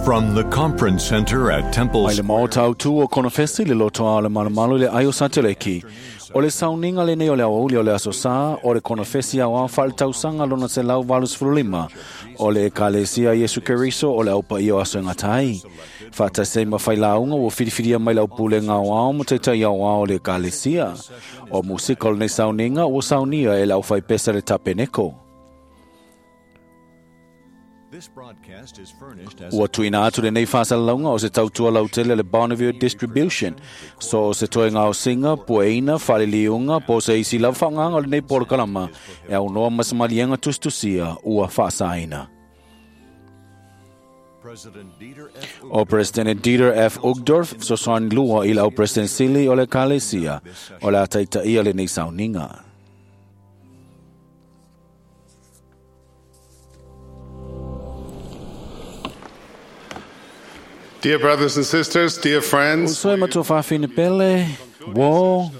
From the Conference Center at Temple Mai le maota autu o Konofesi le lotoa o le malumalu i le ai o Sateleki. O le sauniga lenei o le aoauli o le Aso Sa o le Konofesi aoao faaletausaga lona 185 o le Ekalesia Iesu Keriso o le Aupaia o Aso e Gata ai. Faatasi ai ma failauga ua filifilia mai le aupulega aoao ma taitai aoao o le Ekalesia. O musika o lenei sauniga ua saunia e le aufaipese le Tapeneko. This broadcast is furnished as Ua tuuina atu lenei faasalalauga o se tautua lautele le Bonneville Distribution. So o se toega aosiga, pueina, faaliliuga, po o se isi lava faaaogaga o lenei polokalama e aunoa ma se maliega tusitusia ua faasaina. President Dieter F. O President Dieter F. Uchtdorf fesoasoani lua i le au President Sili o le Ekalesia o le a taitaia lenei sauniga. Dear brothers and sisters, dear friends, Uso e matua faafine pele, wo,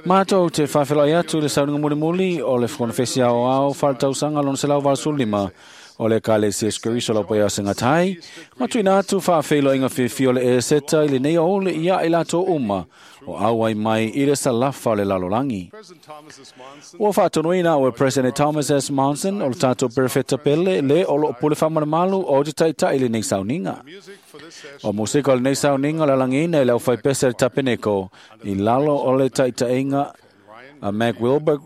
mātou te faafeiloai atu i le sauniga mulimuli o le Konofesi Aoao faaletausaga lona 185 o le Ekalesia Iesu Keriso o le Aupaia o Aso e Gata ai, ma tuuina atu faafeiloaiga fiafia o le Eseta i lenei aoauli ia i latou uma o auai mai i le salafa o le lalolagi. President Thomas S. Monson, Ua faatonuina au e President Thomas S. Monson o le tatou perefeta pele le o loo pule faamalumalu o te taitai i lenei sauniga. music for this session O musika o lenei sauniga o le alagiina i le aufaipese le Tapeneko i lalo o le taitaiga a Mac Wilbur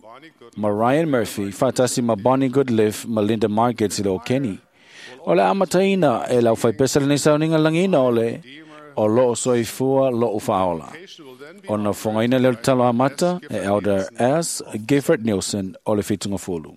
ma Ryan Murphy faatasi ma Bonnie Goodliff ma Linda Margets i le o Kenny. O le amataina e le aufaipese lenei sauniga lagiina o le o loo soifua loo faaola. will then be Ona fogaina lea o le talo amata e Elder S. Gifford Nielsen o le Fitungafulu.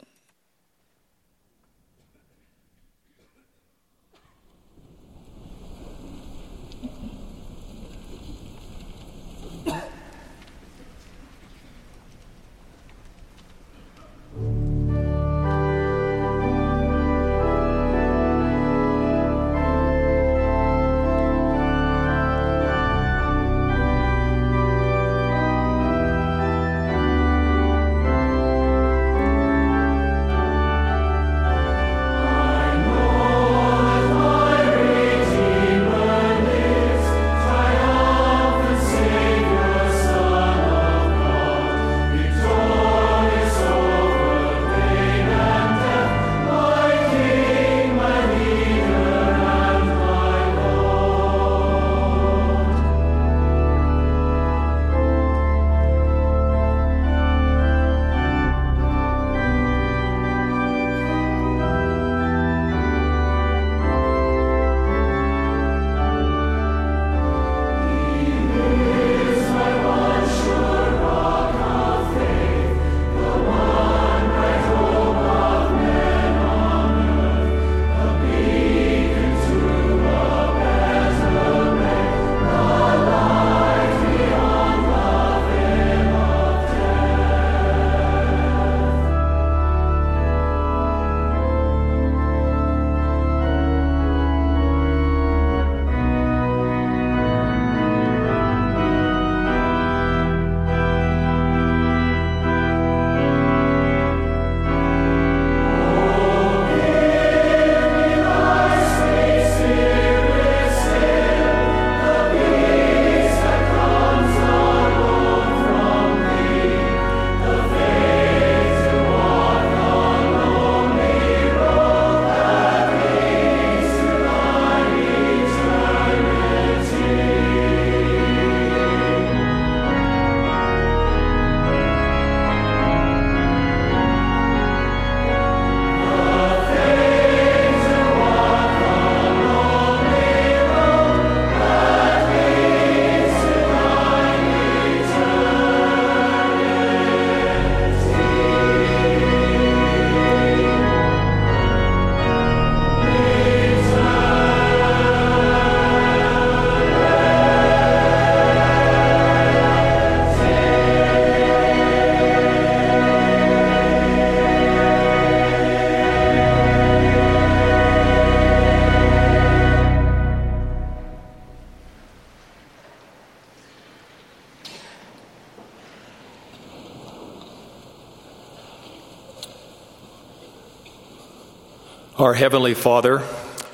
Our Heavenly Father,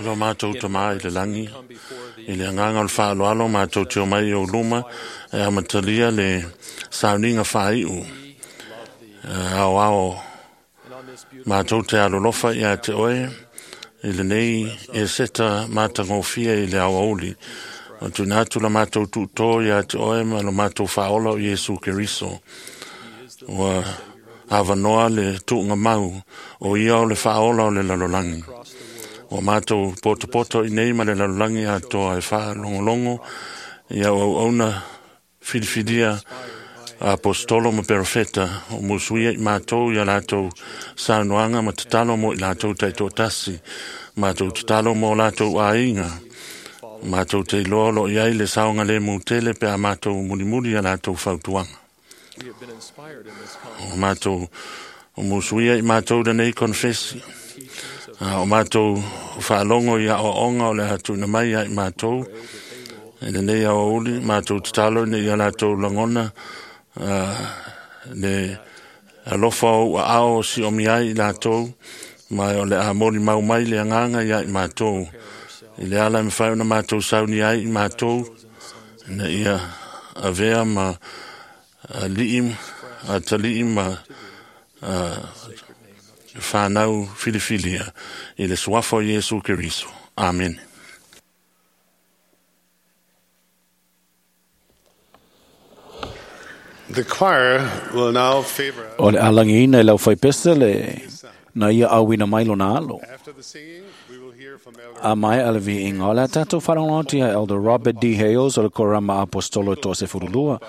Lo mātou tamā i le langi, i le anganga o le whaaloalo mātou te o mai o luma, e amatalia le sauniga whaiu, ao ao mātou te alolofa ia te oe, i le nei e seta mātangofia i le awauli. O tuna atu la mātou tūtō ia te oe ma lo mātou whaola o Iesu Keriso. Ua awanoa le tuunga mau o ia o le whaola o le lalolangi. O mātou poto i nei ma le lalolangi a toa e whaalongolongo ia o auna filifilia apostolo ma perofeta o musuia i mātou ia lātou saunoaga ma tatalo mo i lātou taitoatasi, mātou tatalo mo lātou aiga, mātou te iloa o loo i ai le saoga lemu tele pe a mātou mulimuli ia lātou fautuaga. O mātou o musuia i mātou lenei konefesi, o mātou faalogo i aoaoga o le a tuuina mai ia i mātou i lenei aoauli, mātou tatalo ina ia latou lagona le alofa o ua ao o siomi ai i latou, ma o le a moli mau mai le agaga ia i mātou i le ala e mafai ona mātou sauni ai i mātou ina ia avea ma alii atalii ma whanau filifilia i le suafa o Iesu Keriso. Amen. The choir will now favor us. O le alangiina i lau whaipesa le na ia awina mai lona alo. After the singing, we will hear from Elder A mai ala vi inga o le tātou wharangotia Elder Robert D. Hales o le Korama Apostolo to se furulua.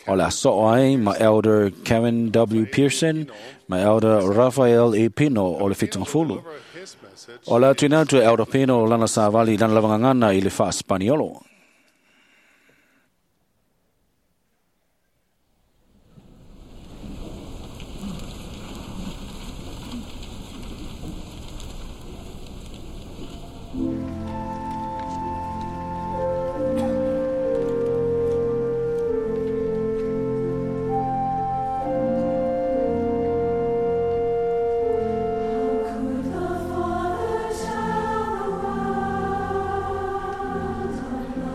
O le aso ai ma Elder Kevin W. Pearson, ma Elder Raphael E. Pino o le Fitungafulu. over his message. O le atuina atu e Elder Pino lana savali lana lavangangana i le wha Spaniolo. Could the Father tell the world of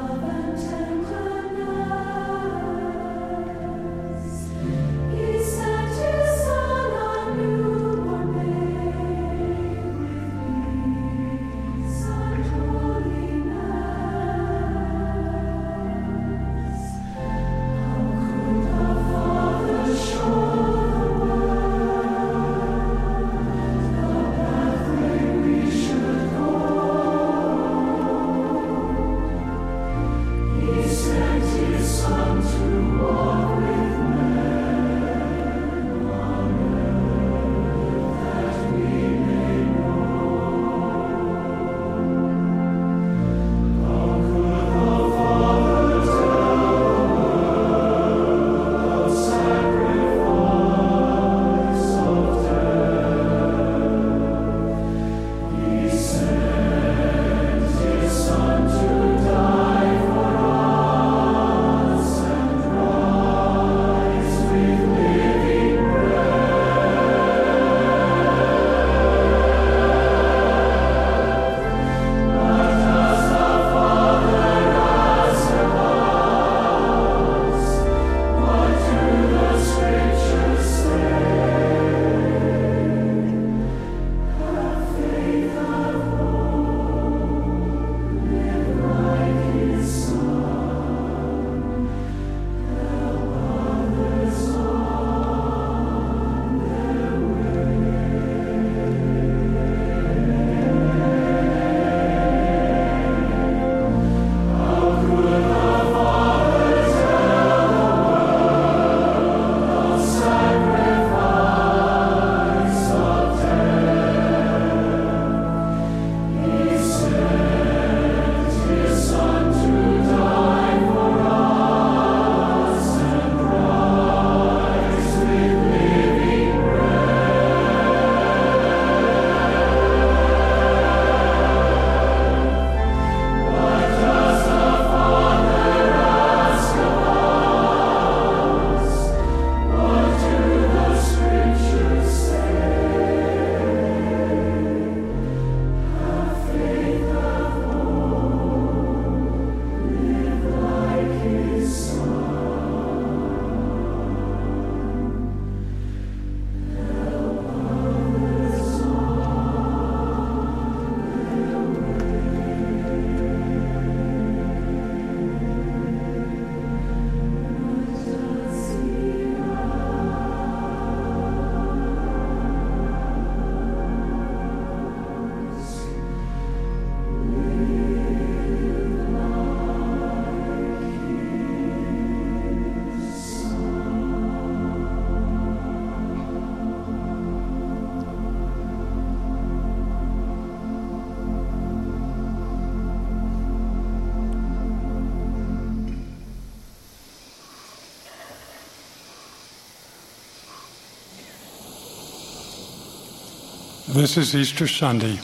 This is Easter Sunday.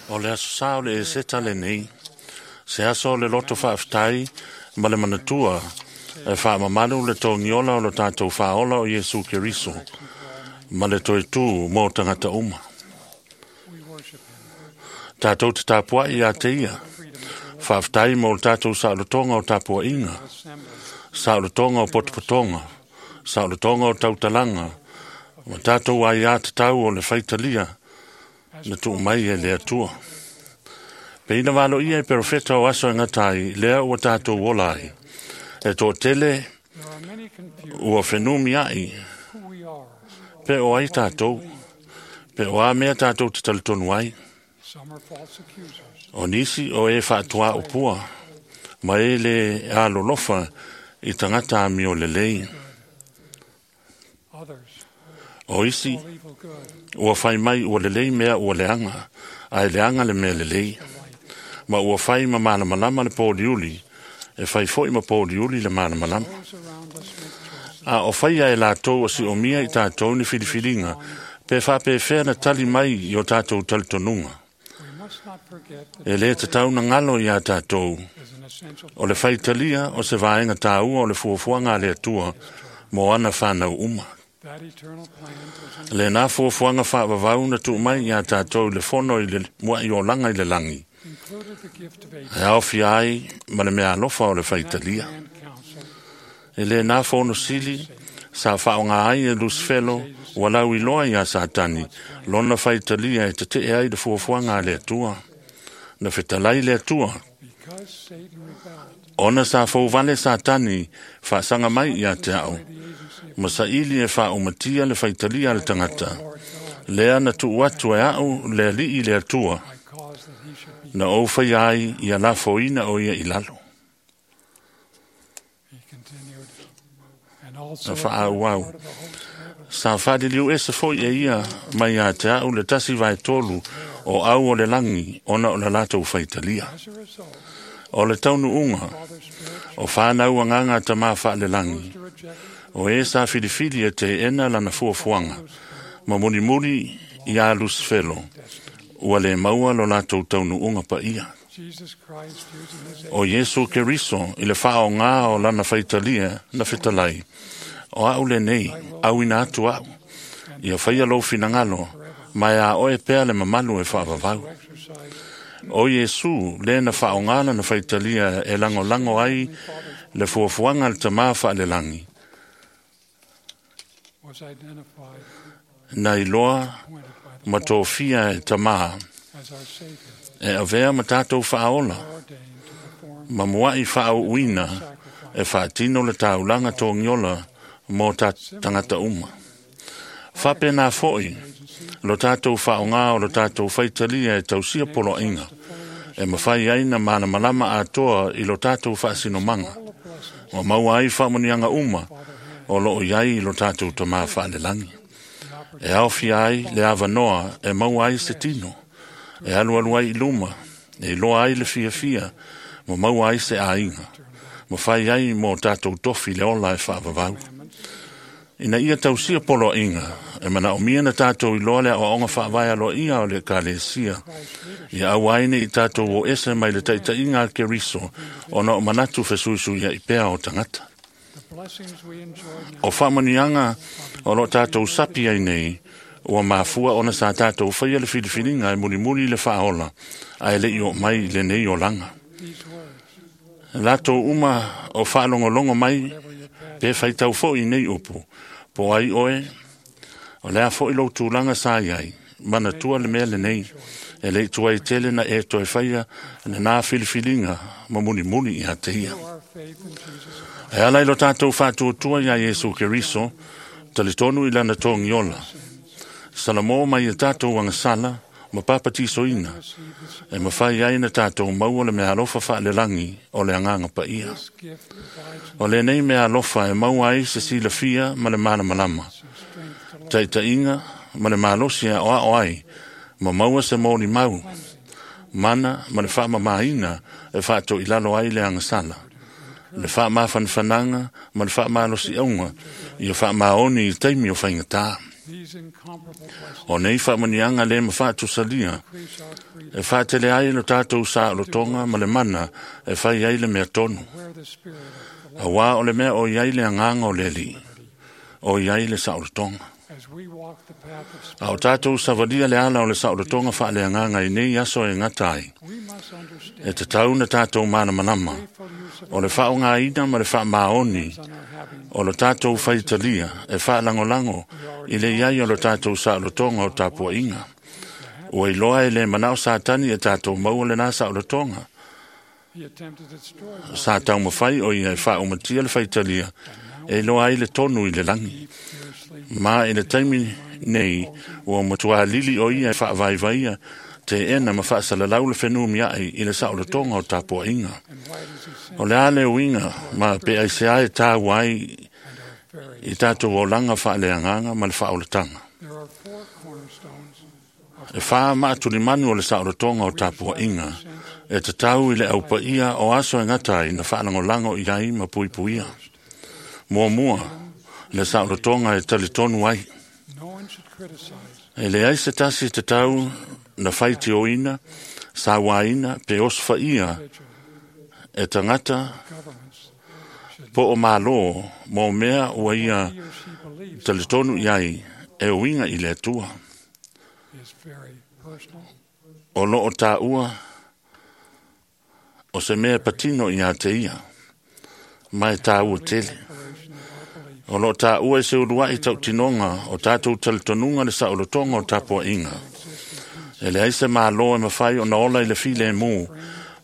O le aso sa o le Eseta lenei, se aso o le loto faafetai ma le manatua e faamamalu le togiola o lo tatou faaola o Iesu Keriso ma le toe tū mo tagata uma. We worship him. Tātou te tapuai ia te ia, faafetai mo le tatou saolotoga o tapuaiga, Assembly. saolotoga o potopotoga, saolotoga o tautalaga, ma tatou aiā tatau o le faitalia na tuu mai e le Atua. Pe ina valo ia e perofeta o aso e ngata ai, lea ua tātou ola ai. E tō tele There are many confused ua whenumi ai, who we are. pe o ai tātou, pe o a mea tātou te talitonu ai. Some are false accusers. O nisi o e whaatua o pua, ma e le alolofa i tangata ami o le lei. Others O isi, call evil good, ua whai mai ua le lei mea ua leanga, a e leanga le mea le lei. the light. Ma ua whai ma malamalama le pōliuli, e whai foi ma pōliuli le malamalama. Those around us make choices. A o whaia e lātou o si o mia i tātou ni whiriwhiringa, pe whapewhea na tali mai i o tātou talitonunga. We must not forget that E le te tau na ngalo i a tātou, is an essential o le whaitalia o se vaenga tāua o le fuafuaga a le Atua, mō ana whānau uma. That eternal plan presented Le nā fuafuaga whaavavau na tuu mai i a tātou le fono i le mua i o langa i le langi. included the gift of E aofia ai ma le mea alofa o le That whaitalia. grand council E le nā fono sili, sa whaonga ai e Lucifero, ua lau iloa i a Satani, lona whaitalia e te te ai le fuafuaga a le Atua. Na fetalai le Atua, because Satan rebelled ona sa fouvale Satani, whaasanga mai i a te ao. by the agency of Ma saili e whaaumatia le whaitalia le tangata. Lord God, Lea na tuu atu e au le alii le Atua, I caused that he should be na ou whai ai i a lafoina o ia i lalo. He continued, and also Na whaau au. part of the host of heaven. Sa whadiliu ese foi e ia mai a te au le tasi vai tolu o au o le langi ona o le latou whaitalia. As a result, O le taunu unga Father Spirit o whānau anganga ta mā wha le langi. chose to reject O e sa whiriwhiri e te ena lana fuafuanga. Ma murimuri i a Lucifero. Ua le maua lo latou taunu unga pa ia. Jesus Christ using his O Iesu Keriso i le whao ngā o lana whaitalia na whitalai. O au le nei, au ina atu au. Ia whaia lou whinangalo, mai a oe pea le mamalu e whaavavau. to exercise O Iesu, le na whao ngā na whaitalia e lango lango ai le fuafuanga le tamā wha le langi. was identified, Na iloa appointed by the ma tōfia e tamā, as our Savior, e avea ma tātou whaola, ordained to perform ma muai whaau uina, sacrifice. e whaatino le taulanga tōngiola mō tā tangata uma. Whape nā foi, lo tātou whaonga o lo tātou whaitalia e tausia poloinga, e mawhai ai na malamalama atoa i lo tātou whaasinomanga, All the blessings o maua ai whaamonianga uma, Father had o loo iai i lo tātou tamā whaalelangi. the E aofia ai le avanoa e maua ai se tino, e alualu ai i luma, e iloa ai le fiafia, ma maua ai se aiga, ma whai ai mō tātou tofi le ola e whaavavau. commandments Ina ia tausia poloaiga, e manaomia na tātou iloa le aoaoga faavae aloaia o le ekalesia. Christ's leadership Ia auaine i tātou o ese mai le taitaiga a Keriso, ona o manatu fesuisuia i pea o tagata. the blessings we enjoy now O faamanuiaga o loo tātou sapi ai nei, ua mafua ona sa tātou faia le filifiliga e mulimuli le faaola, ae leʻi oo mai i lenei olaga. these words Latou uma o faalogologo mai whatever your path pe faitau foʻi nei upu, po ai oe, o lea foʻi lou tulaga sa iai, manatua le mea lenei, e leʻi tuai tele na e toe faia lenā filifiliga ma mulimuli ia te ia. through our faith in Jesus E ala i lo tātou whātuatua ia Iesu Keriso, talitonu i lana tōgiola. Salamo mai e tātou agasala, ma papatisoina, receive this, e mawhai ai na tātou maua le mea alofa whaalelangi o le anganga pa ia. this gift provides O le nei mea alofa e maua ai se silafia ma le malamalama, us strength to love taitaiga ma le malosi a oao ai, ma maua se mōli mau, mana ma le whaamamaina e whaato i lalo ai le angasala. Le whaamafanafanaga ma le whaamalosi aunga, ia whaamaoni i taimi o whaingatā. O nei faamanuiaga le ma faatusalia e faatele ai lo tatou saolotoga ma le mana e fai ai le mea tonu. Auā o le mea o i ai le agaga o le Alii, o i ai le saolotoga. A o tatou savalia le ala o le saolotoga faaleagaga i nei aso e gata ai, e tatau na tatou malamalama o le faaaogaina ma le faamaoni o lo tatou faitalia e faalagolago i le i ai o lo tatou saolotoga o tapuaiga. Ua iloa e le manao Satani e tatou maua lena saolotoga. Sa taumafai o ia e faaumatia le faitalia e iloa ai le tonu i le lagi. Ma i le taimi nei, ua matua lili o ia e faavaivaia teena ma faasalalau le fenumiai i le saolotoga o tapuaiga. O le a le uiga ma pe aisea e tāua ai i tatou olaga faaleagaga ma le faaolataga. E whā maatulimanu o le saolotoga o tapuaiga e tatau i le aupaia o aso e ngata ai na faalagolago i ai ma puipuia. Muamua, le saolotoga e talitonu ai. E leai se tasi tatau na faitioina, sauaina pe osofaia e tagata po o malo mo mea ua ia talitonu i ai e uiga i le Atua. O loo taua o se mea patino ia te ia, ma e tāua tele. O loo taua e se uluai tautinoga o tatou talitonuga le saolotoga o tapuaiga. E leai se malo e mafai ona ola i le filemu,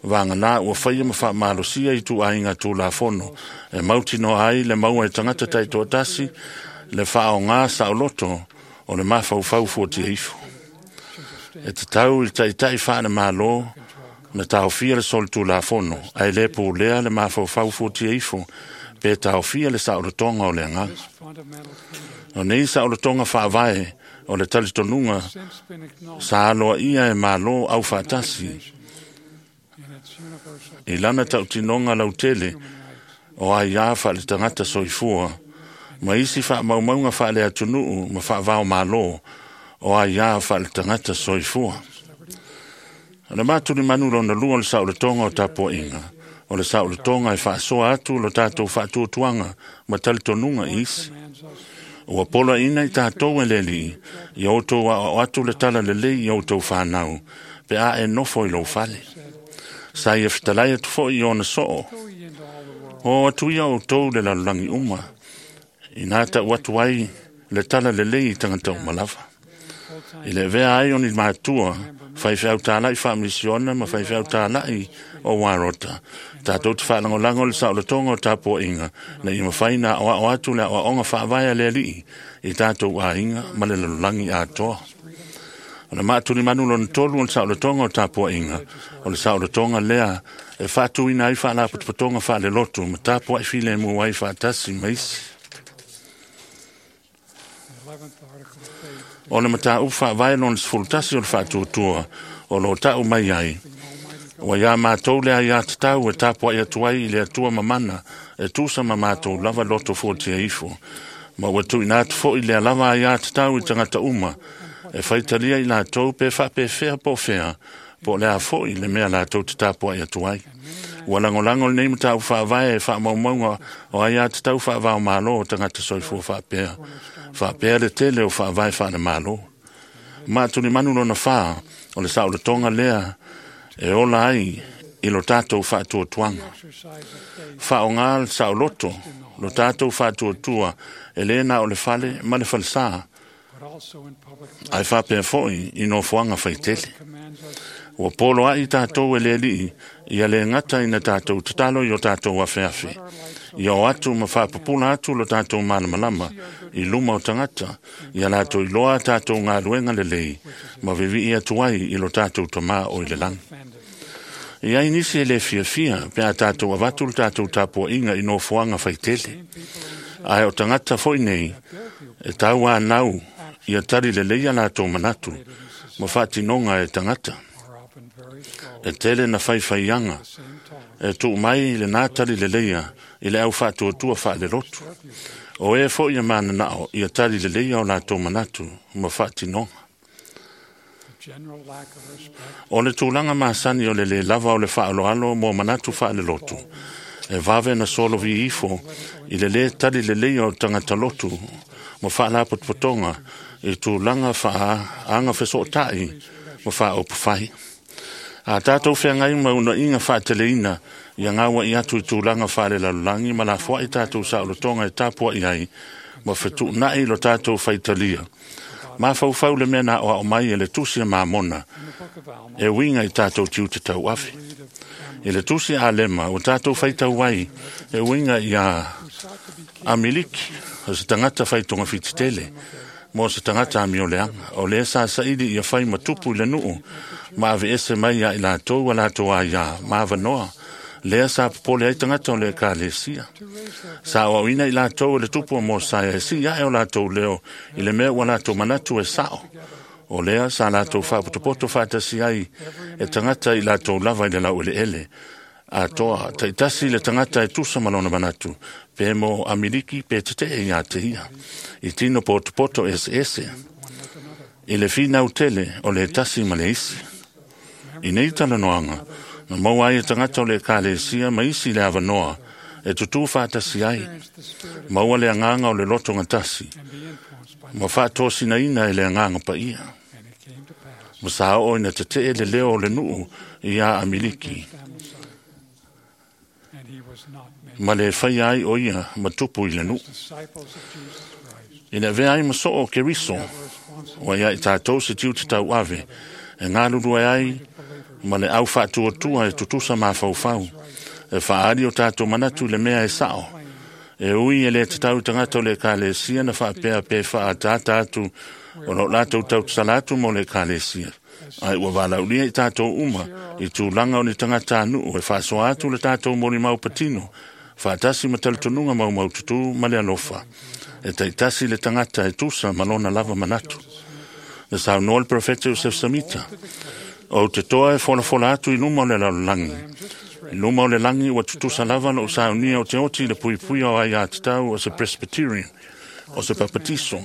vagana ua faia ma faamalosia i tuaiga Tulafono e mautinoa ai le maua e tagata taitoatasi le faaaoga saoloto o le mafaufau fuatia ifo. E tatau i le taitai faale-Malo na taofia le solitulafono ae le pulea le mafaufau fuatia ifo pe taofia le saolotoga o le agaga. O nei saolotoga faavae o le talitonuga sa aloaia e malo aufaatasi i lana tautinoga lautele o aiā faale-tagata soifua ma isi faamaumauga faale-atunuu ma faavaomalo o aiā faale-tagata soifua. O le matulimanu lona lua o le saolotoga o tapuaiga, o le saolotoga e faasoa atu lo tatou faatuatuaga ma talitonuga i isi. Ua poloaiina i tatou e le Alii, ia outou aoao atu le tala lelei i outou fanau, pe a e nofo i lou fale. Sa ia fetalai atu foi i ona soo, o atu ia outou le lalolagi uma, ina tau atu ai le tala lelei i tagata uma lava. I le avea ai o ni matua, faifeau tālai faamisiona ma faifeau tālai o Warota. Tatou te faalagolago le saolotoga o tapuaiga, na ia mafai na aoao atu le aoaoga faavae a le Alii i tatou aiga ma le lalolagi atoa. O le maatulimanu lona tolu o le saolotoga o tapuaiga, o le saolotoga lea e faatuina ai faalapotopotoga faalelotu ma tapuai filemu ai faatasi ma isi. O le mataupu faavae lona 11 o le faatuatua o lo tau mai ai, ua iā matou le aiā tatau e tapuai atu ai i le Atua mamana e tusa ma matou lava loto fuatia ifo. Ma ua tuuina atu foi lea lava aiā tatau i tagata uma e faitalia i latou pe faapefea po o fea, po o le a foi le mea latou te tapuai atu ai. Ua lagolago lenei mataupu faavae e faamaumauga o aiā tatau faavaomalo o tagata soifua faapea, faapea le tele o faavae faalemalo. Ma tulimanu lona whā o le saolotoga lea e ola ai i lo tatou faatuatuaga. Faaaoga le saoloto lo tatou faatuatua e le na o le fale ma le falesā, ae faapea foi i nofoaga faitele. Ua polo ai tatou e le Alii ia le gata ina tatou tatalo i o tatou afeafe, ia o atu ma faapupula atu lo tatou malamalama i luma o tagata, ia latou iloa tatou galuega lelei ma vivii atu ai i lo tatou Tamā o i le lagi. E ai nisi e le fiafia pe a tatou avatu le tatou tapuaiga i nofoaga faitele. Ae o tagata foi nei e tauanau ia tali lelei a latou manatu ma faatinoga e tagata. E tele na faifaiaga e tuu mai lena tali leleia i le au faatuatua faalelotu. O e fo'i e manana'o ia tali lelei o latou manatu ma fa'atinoga. O le tulaga masani o le lē lava o le fa'aaloalo mo manatu fa'alelotu e vave na solovi ifo i le lē tali lelei o tagata lotu ma fa'alapotopotoga i tulaga fa'aaga fesoota'i ma fa'aupufai. A tatou feagai ma una'iga fa'ateleina ia gaua'i atu i tulaga fa'alelalolagi ma lafoa'i tatou sa'olotoga e tapua'i ai ma fetu'una'i lo tatou faitalia mafaufau le mea na aoa'o mai e le tusi a Mamona e uiga i tatou tiute tauafe. I le tusi a Alema ua tatou faitau ai e uiga iā Amiliki o se tagata faitogafiti tele mo se tagata amioleaga o lea sa saili ia fai ma tupu i le nu'u ma aveese mai ia i latou a latou aiā ma avanoa lea sa popole ai tagata o le ekalesia. Sa aoaoina i latou e le tupu o Mosaia e si'i a'e o latou leo i le mea ua latou manatu e sa'o. O lea sa latou faapotopoto faatasi ai e tagata i latou lava i le laueleele atoa ta'itasi le tagata e tusa ma lona manatu pe mo Amiliki pe tete'e iā te ia i tino potopoto eseese i le finau tele o le tasi ma le isi. I nei talanoaga na maua ai e tagata o le ekalesia ma isi le avanoa e tutū faatasi ai, maua le agaga o le loto gatasi ma fa'atosinaina e le agaga paia. Ma sa oo ina tete'e le leo o le nu'u iā Amiliki ma le faia ai o ia ma tupu i le nu'u. Ina avea ai ma so'o o Keriso ua ia i tatou se tiute tauave e galulue ai ma le au fa'atuatua e tutusa mafaufau e fa'aali o tatou manatu i le mea e sa'o. E ui e lē tatau i tagata o le ekalesia na fa'apea pe fa'ataata atu o lo'o latou tautasala atu mo le ekalesia, ae ua valaulia i tatou uma i tulaga o ni tagatanu'u e fa'asoa atu le tatou molimau patino fa'atasi ma talitonuga maumaututu ma le alofa e ta'itasi le tagata e tusa ma lona lava manatu. Na saunoa le Perofeta Iosef Samita, ou te toa e folafola atu i luma o le lalolagi. I luma o le lagi ua tutusa lava lo'u saunia o te oti i le puipuia o aiā tatau o se Presbyterian, o se Papatiso,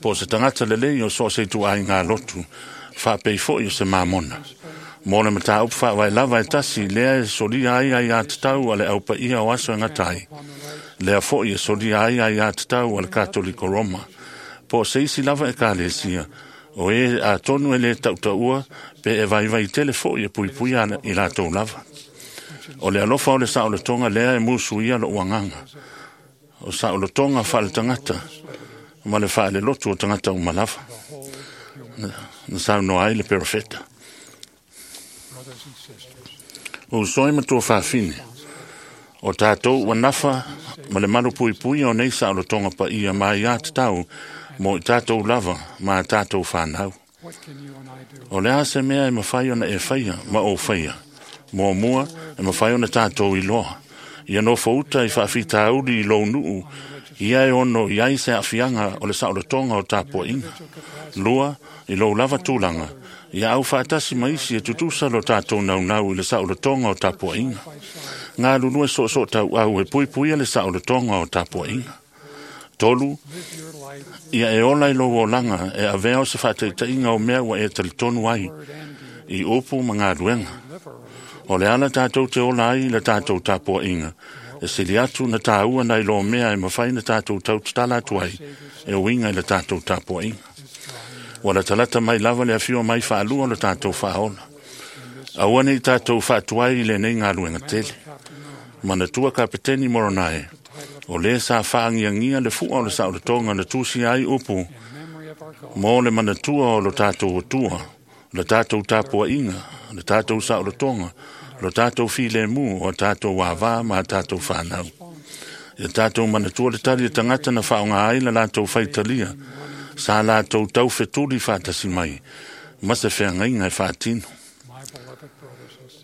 po o se tagata lelei o so o se itu'aigā lotu, fa'apei fo'i o se Mamona. Mo le mataupu fa'avae lava e tasi lea e solia ai aiā tatau a le aupaia o aso e gata ai. Lea fo'i e solia ai aiā tatau a le Katoliko Roma. Po o se isi lava ekalesia, o e atonu e lē ta'uta'ua pe e vaivai tele fo'i e puipuia i latou lava. O le alofa o le sa'olotoga lea e musuia lo'u agaga. O sa'olotoga fa'aletagata ma le fa'alelotu o tagata uma lava. Na saunoa ai le perofeta. Uso e matua fafine, o tātou ua nafa ma le malu puipui o nei sa'olotoga pa'ia ma iā tatau mo i tātou lava ma a tātou whānau. O le a se mea e mawhai ona e whaia ma o whaia. Mua mua e mawhai ona tātou i loa. Ia no whauta i whaafitauri i lou nuu, ia e ono i ai se afianga o le saolotoga o tapuaʻiga. Lua, i lou lava tulaga, ia au faatasi ma isi e tutusa lo tatou naunau i le saolotoga o tapuaʻiga. Galulue soosoo tauau e puipuia le saolotoga o tapuaʻiga. Tolu, ia e ola i lou olaga e avea o se fa'ataita'iga o mea ua e talitonu ai i upu ma galuega. O le ala tatou te ola ai i le tatou tapuaʻiga e sili atu na tāua nai lo mea e mafai na tatou tautatala atu ai e uiga i le tatou tapuaʻiga. Ua latalata mai lava le afio mai faalua o le tatou faaola. Aua nei tatou faatuai i lenei galuega tele. Manatua Kapeteni Moronae, o lē sa faagiagia le fu'a o le saolotoga na tusia ai upu mo le manatua o lo tatou atua, le tatou tapuaʻiga, le tatou saolotoga, lo tatou filemu o tatou avā ma a tatou fanau. Ia tatou manatua le tali e tagata na faaoga ai la latou faitalia, sa latou taufetuli faatasi mai, ma se feagaiga e faatino.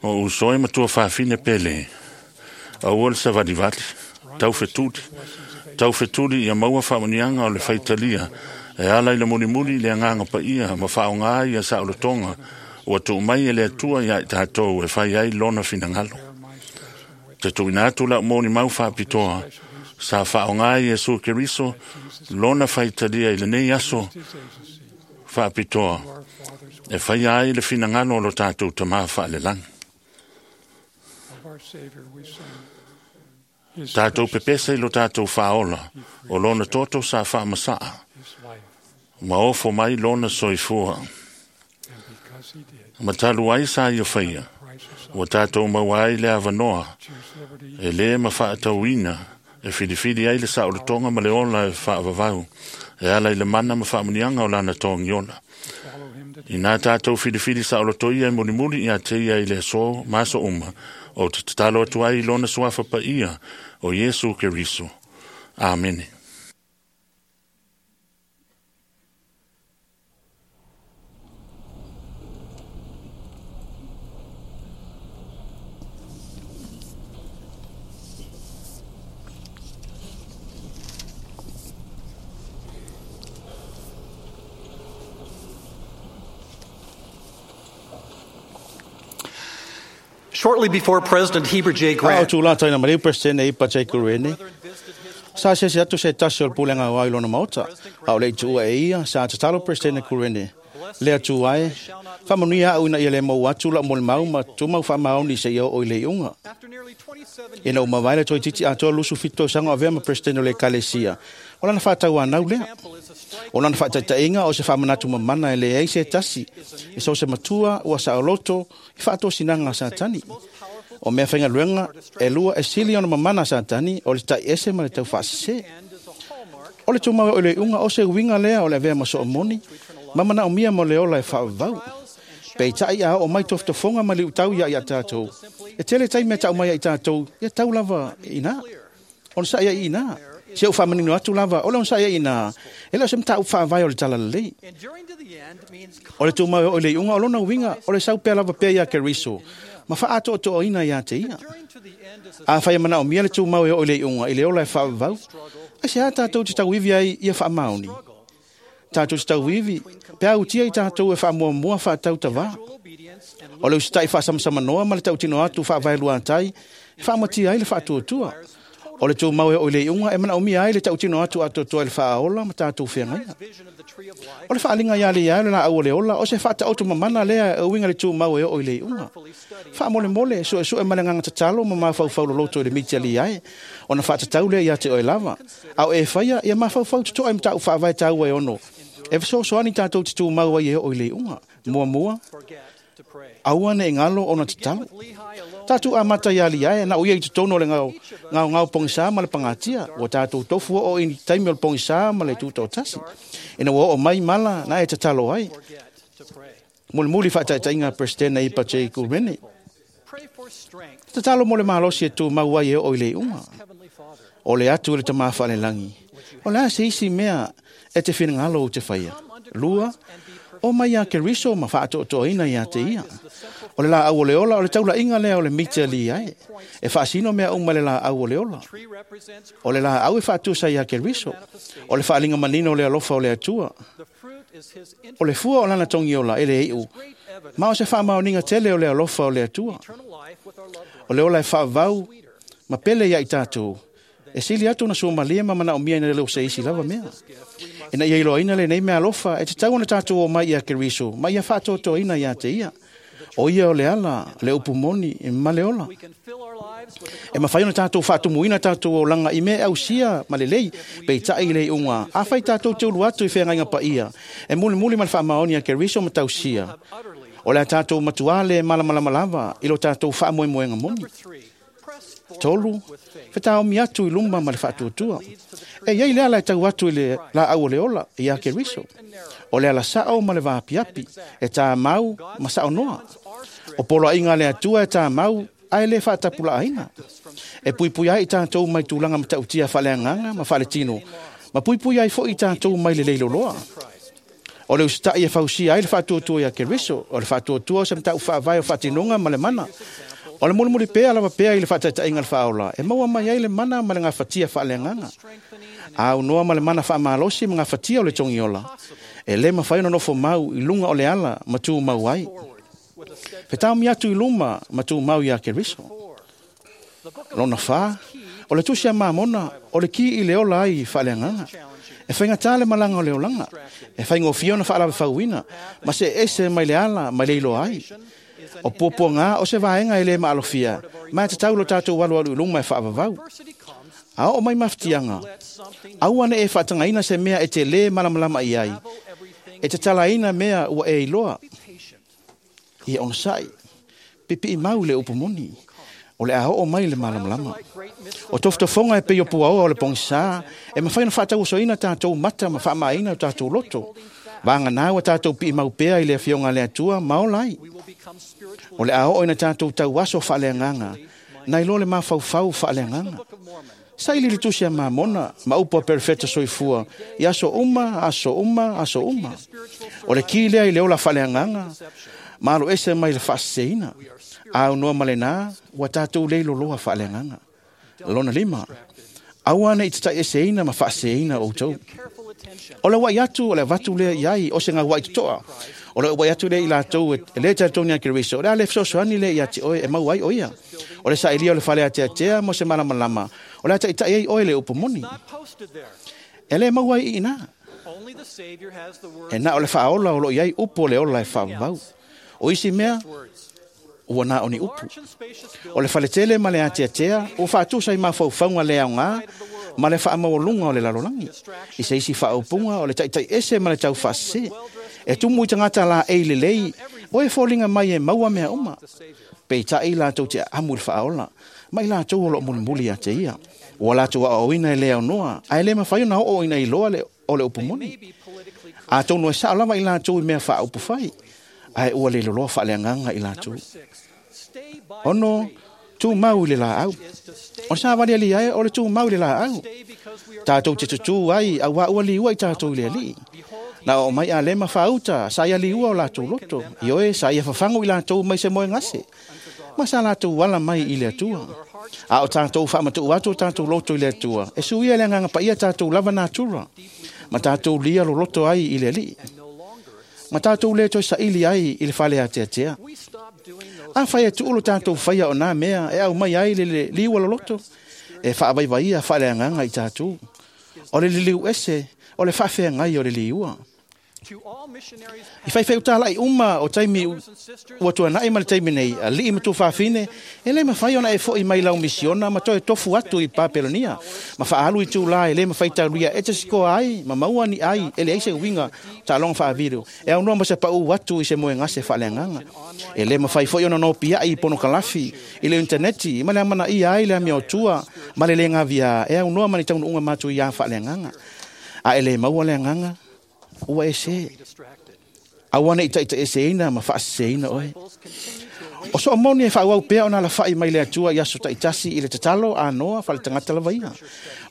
O uso e matua fafine pele, aua le savalivali, taufetuli, taufetuli ia maua faamuniaga o le faitalia, e ala i le mulimuli i le agaga paia ma faaoga ai ia saolotoga ua tuu mai e le Atua iā i tatou e fai ai lona finagalo. Te tuuina atu la'u molimau faapitoa, Sa faaaoga e Iesu Keriso lona faitalia i lenei aso faapitoa e faia ai le finagalo o lo tatou Tamā faalelagi. Tatou pepesa i lo tatou faaola o lona toto sa faamasaa ma ofo mai lona soifua. Ma talu ai sa ia faia, ua tatou maua ai le avanoa e lē mafaatauina e filifili ai le saolotoga ma le ola e faavavau e ala i le mana ma faamuniaga o lana togiola. Inā tatou filifili saoloto ia e mulimuli ia te ia i le aso ma aso uma, o te tatalo atu ai i lona suafa paia o Iesu Keriso. Amene. Shortly before President Heber J. A o Grant tūlata ina mareu Presidente Ipa J. Kurene. Sa se se atu se tasi o le pulega o ai lona maota. A o le itua e ia, sa tatalo Presidente Kurene. Lea tu ai, whamanuia au ina ia le mau atu la mo le mau ma tumau whamaoni se ia o i le iunga. Ina o mawaile toi titi atoa lusu fito sanga avea ma Presidente o le Kalesia. O lana whātau anau lea. O lana whaataitainga o se whamanatu mamana e le ei se tasi. E so se matua ua sa oloto i whaatosinaga a Satani. O mea whainga luenga e lua e sili ona mamana a Satani o le tai ese ma le tau whaasese. O le tūmau o le unga o se uinga lea o le avea ma soomoni, mamana o mia mo le ola e whaavau. Pei tai a o mai tofotofonga ma le utau ia ia tātou. E tele tai mea tau mai ia i tātou, ia tau lava ina. Ona sa ia ina. Se u whamanino atu lava, o le ona sa ia ina. E leo se mta u whaavai o le tala lelei. O le tūmau o le iunga o lona uinga, o le saupea lava pea ia Keriso. Ma wha ato o ina ia te ia. A whai mana o mia le tūmau e o le iunga, i le ola e whaavau. Ai se a tātou te tauivi ai ia whaamaoni. Tātou te tauivi, pea utia i tātou e whaamuamua whaatau tawā. O le usitai whaasamsamanoa ma le tautino atu whaavaelua tai, e whaamatia ai le whaatuatua. O le tūmau e o le iunga e mana umia ai le tautino atu atoatoa i le whaaola ma tātou whengaia. O le whaalinga ia le ia le la au o le ola, o se whaata mamana lea e uinga le tūmau e o le iunga. Whaamole mole, sue sue ma le nganga tatalo ma mawhauwhau loloto i le miti ali ai, o na whaatatau lea ia te oe lava. Au e whaia, ia mawhauwhau tutoa i mtau whaavae tāua e ono. E whasoasoani tātou te tūmau ai e o le iunga. Mua mua, aua ne ngalo ona tatalo. Tātou a mata ia li ai, na uia i te tono le ngau, ngau ngau pongisa ma le pangatia, o tātou tofu o i taimi o le pongisa ma le tūtau tasi. Ina ua o mai mala, na e tatalo ai. Muli muli whaataitainga Presidente Ipa J. Kurene. Tatalo mo le malosi e tū mau ai e o i le unga. O le atu i le tamā whaalelangi. O le a se isi mea e te whingalo o te whaia. Lua, o mai a Keriso ma whaatoatoaina ia te ia. O le la au o le ola, o le taula inga lea o le mita li ai. E whaasino mea uma le la au o le ola. O le la au e whaatusa ia Keriso. O le whaalinga manino o le alofa o le atua. O le fua o lana tongi ola e le iu. Ma o se whaamaoninga tele o le alofa o le atua. O le ola e whaavau, ma pele ia i tātou. E sili atu na suamalia ma mana o mia ina le o se isi lava mea. Ina ia iloaina le nei mea alofa, e te tau ona tātou o mai ia Keriso, ma ia whaatoatoaina ia te ia. O ia o le ala, le upu moni, e ma le ola. E mawhai ona tātou whaatumuina tātou o langa i mea ausia ma le lei, pe i tai le unga. A whai tātou te ulu atu i whengainga pa ia. E muli muli ma le whaamaoni a Keriso ma tausia. O le a tātou matuale malamalama lava, i lo tātou whaamoemoenga moni. Tolu, whetaomi atu i luma ma le whaatuatua. E iai le ala e tau atu i le la au o le ola, i a Keriso. O le ala sao ma le vaapiapi, e tā mau ma sao noa. O polo inga le atua e tā mau, ai le whaatapula aina. E pui pui ai i tātou mai tūlanga ma tautia whaleanganga ma whaletino. Ma pui pui ai fo i tātou mai le leilo loa. O le usitai e fausia ai le whaatuatua ia Keriso. O le whaatuatua o se mtau whaavai o whaatinonga ma le mana. O le mulimuli pea lava pea i le whaataitainga le whaola. E maua mai ai le mana ma le ngā whatia whaaleanganga. A unoa ma le mana whaamalosi ma ngā whatia o le tongiola. E le mawhai ono nofo mau i lunga o le ala ma tū mau ai. Whetaomi atu i luma ma tū mau ia Keriso. Lona whā, O le tusi a Mamona, o le ki i le ola ai i faaleagaga. E faigata le malaga o le olaga, e faigofie ona faalavefauina, ma se ese mai le ala mai le iloa ai. O puapuaga o se vaega e lē maalofia, ma e tatau lo tatou alualu i luma e faavavau. A oo mai mafatiaga, aua ne e faatagaina se mea e te lē malamalama i ai, e tatalaina mea ua e iloa. Ia onosai, pipii mau i le upu moni, o le a oo mai le malamalama. O tofotofoga e pei o puaoa o le pogisā, e mafai ona faatauosoina tatou mata ma faamaina o tatou loto. Vagana ua tatou piimau pea i le afioga a le Atua ma ola ai. O le a oo ina tatou tauaso faaleagaga, nai lo le mafaufau faaleagaga. Saili le tusi a Mamona, ma upu a perofeta soifua, i aso uma, aso uma, aso uma. O le ki lea i le ola faaleagaga, ma alo ese mai le faaseseina. Aunoa ma lenā, ua tatou le iloloa faaleagaga. Lona 5, aua ne i tataiʻeseina ma faaseseina outou. O le uaʻi atu o le avatu lea i ai o se gauaʻi totoa. O le uaʻi atu lea i latou e le talitonu ia Keriso, o le a le fesoasoani lea ia te oe e maua ai o ia. O le saʻilia o le fale ateatea mo se malamalama, o le a taʻitaʻi ai oe le upu moni. E lē maua ai i inā. E na o le faaola o loo i ai upu o le ola e faavavau. O isi mea, ua na o ni upu. O le faletele ma le ateatea, ua faatusa i mafaufauga le aogā ma le faamaualuga o le lalolagi. I se isi faaupuga o le taʻitaʻi ese ma le taufaasese. E tumu i tagata laei lelei, o e foliga mai e maua mea uma. Peitaʻi latou te aamu i le faaola, ma i latou o loo mulimuli ia te ia. Ua latou aoaoina e le aunoa, ae le mafai ona oo ina iloa o le upu moni. Atonu e sao lava i latou i mea faaupu fai, ae ua le loloa faaleagaga i latou. 6, tumau i le laau. O le savali ai o le tumau i le laau. Tatou te tutū ai, auā ua liua i tatou i le alii. Na oo mai alema faauta, sa ia liua o latou loto. Ioe, sa ia fafagu i latou mai se moegase. Ma sa latou ala mai i le Atua. A o tatou faamatuu atu o tatou loto i le Atua, e suia le agaga paia tatou lava natura, ma tatou lia loloto ai i le alii. Ma tatou le toe saili ai i le fale ateatea. A fai e tuu lo tatou faia o nā mea e au mai ai le liua loloto, e faavaivaia faaleagaga i tatou. O le liliu ese, o le faafeagai o le liua. I faifai utalai uma o taimi ua tuanai ma le taimi nei, alii ma tuafafine, e le mafai ona e foʻi mai lau misiona ma toe tofu atu i Papelonia, ma faaalu i tūlā e le mafai taulia e te sikoa ai, ma maua ni ai, e leai se uiga taaloga faavideo, e aunoa ma se paʻu atu i se moegase faaleagaga. E le mafai foi ona nopiaʻi i ponokalafi, i le interneti, ma le amanaia ai le amiotua, ma le le gavia, e aunoa ma ni taunuuga matuiā faaleagaga. A e le maua le agaga, ua e se. Aua ne i taʻitaʻeseina ma faaseseina oe. O soo moni e faauau pea ona alafaʻi mai le Atua i aso taʻitasi i le tatalo anoa faletagata lava ia.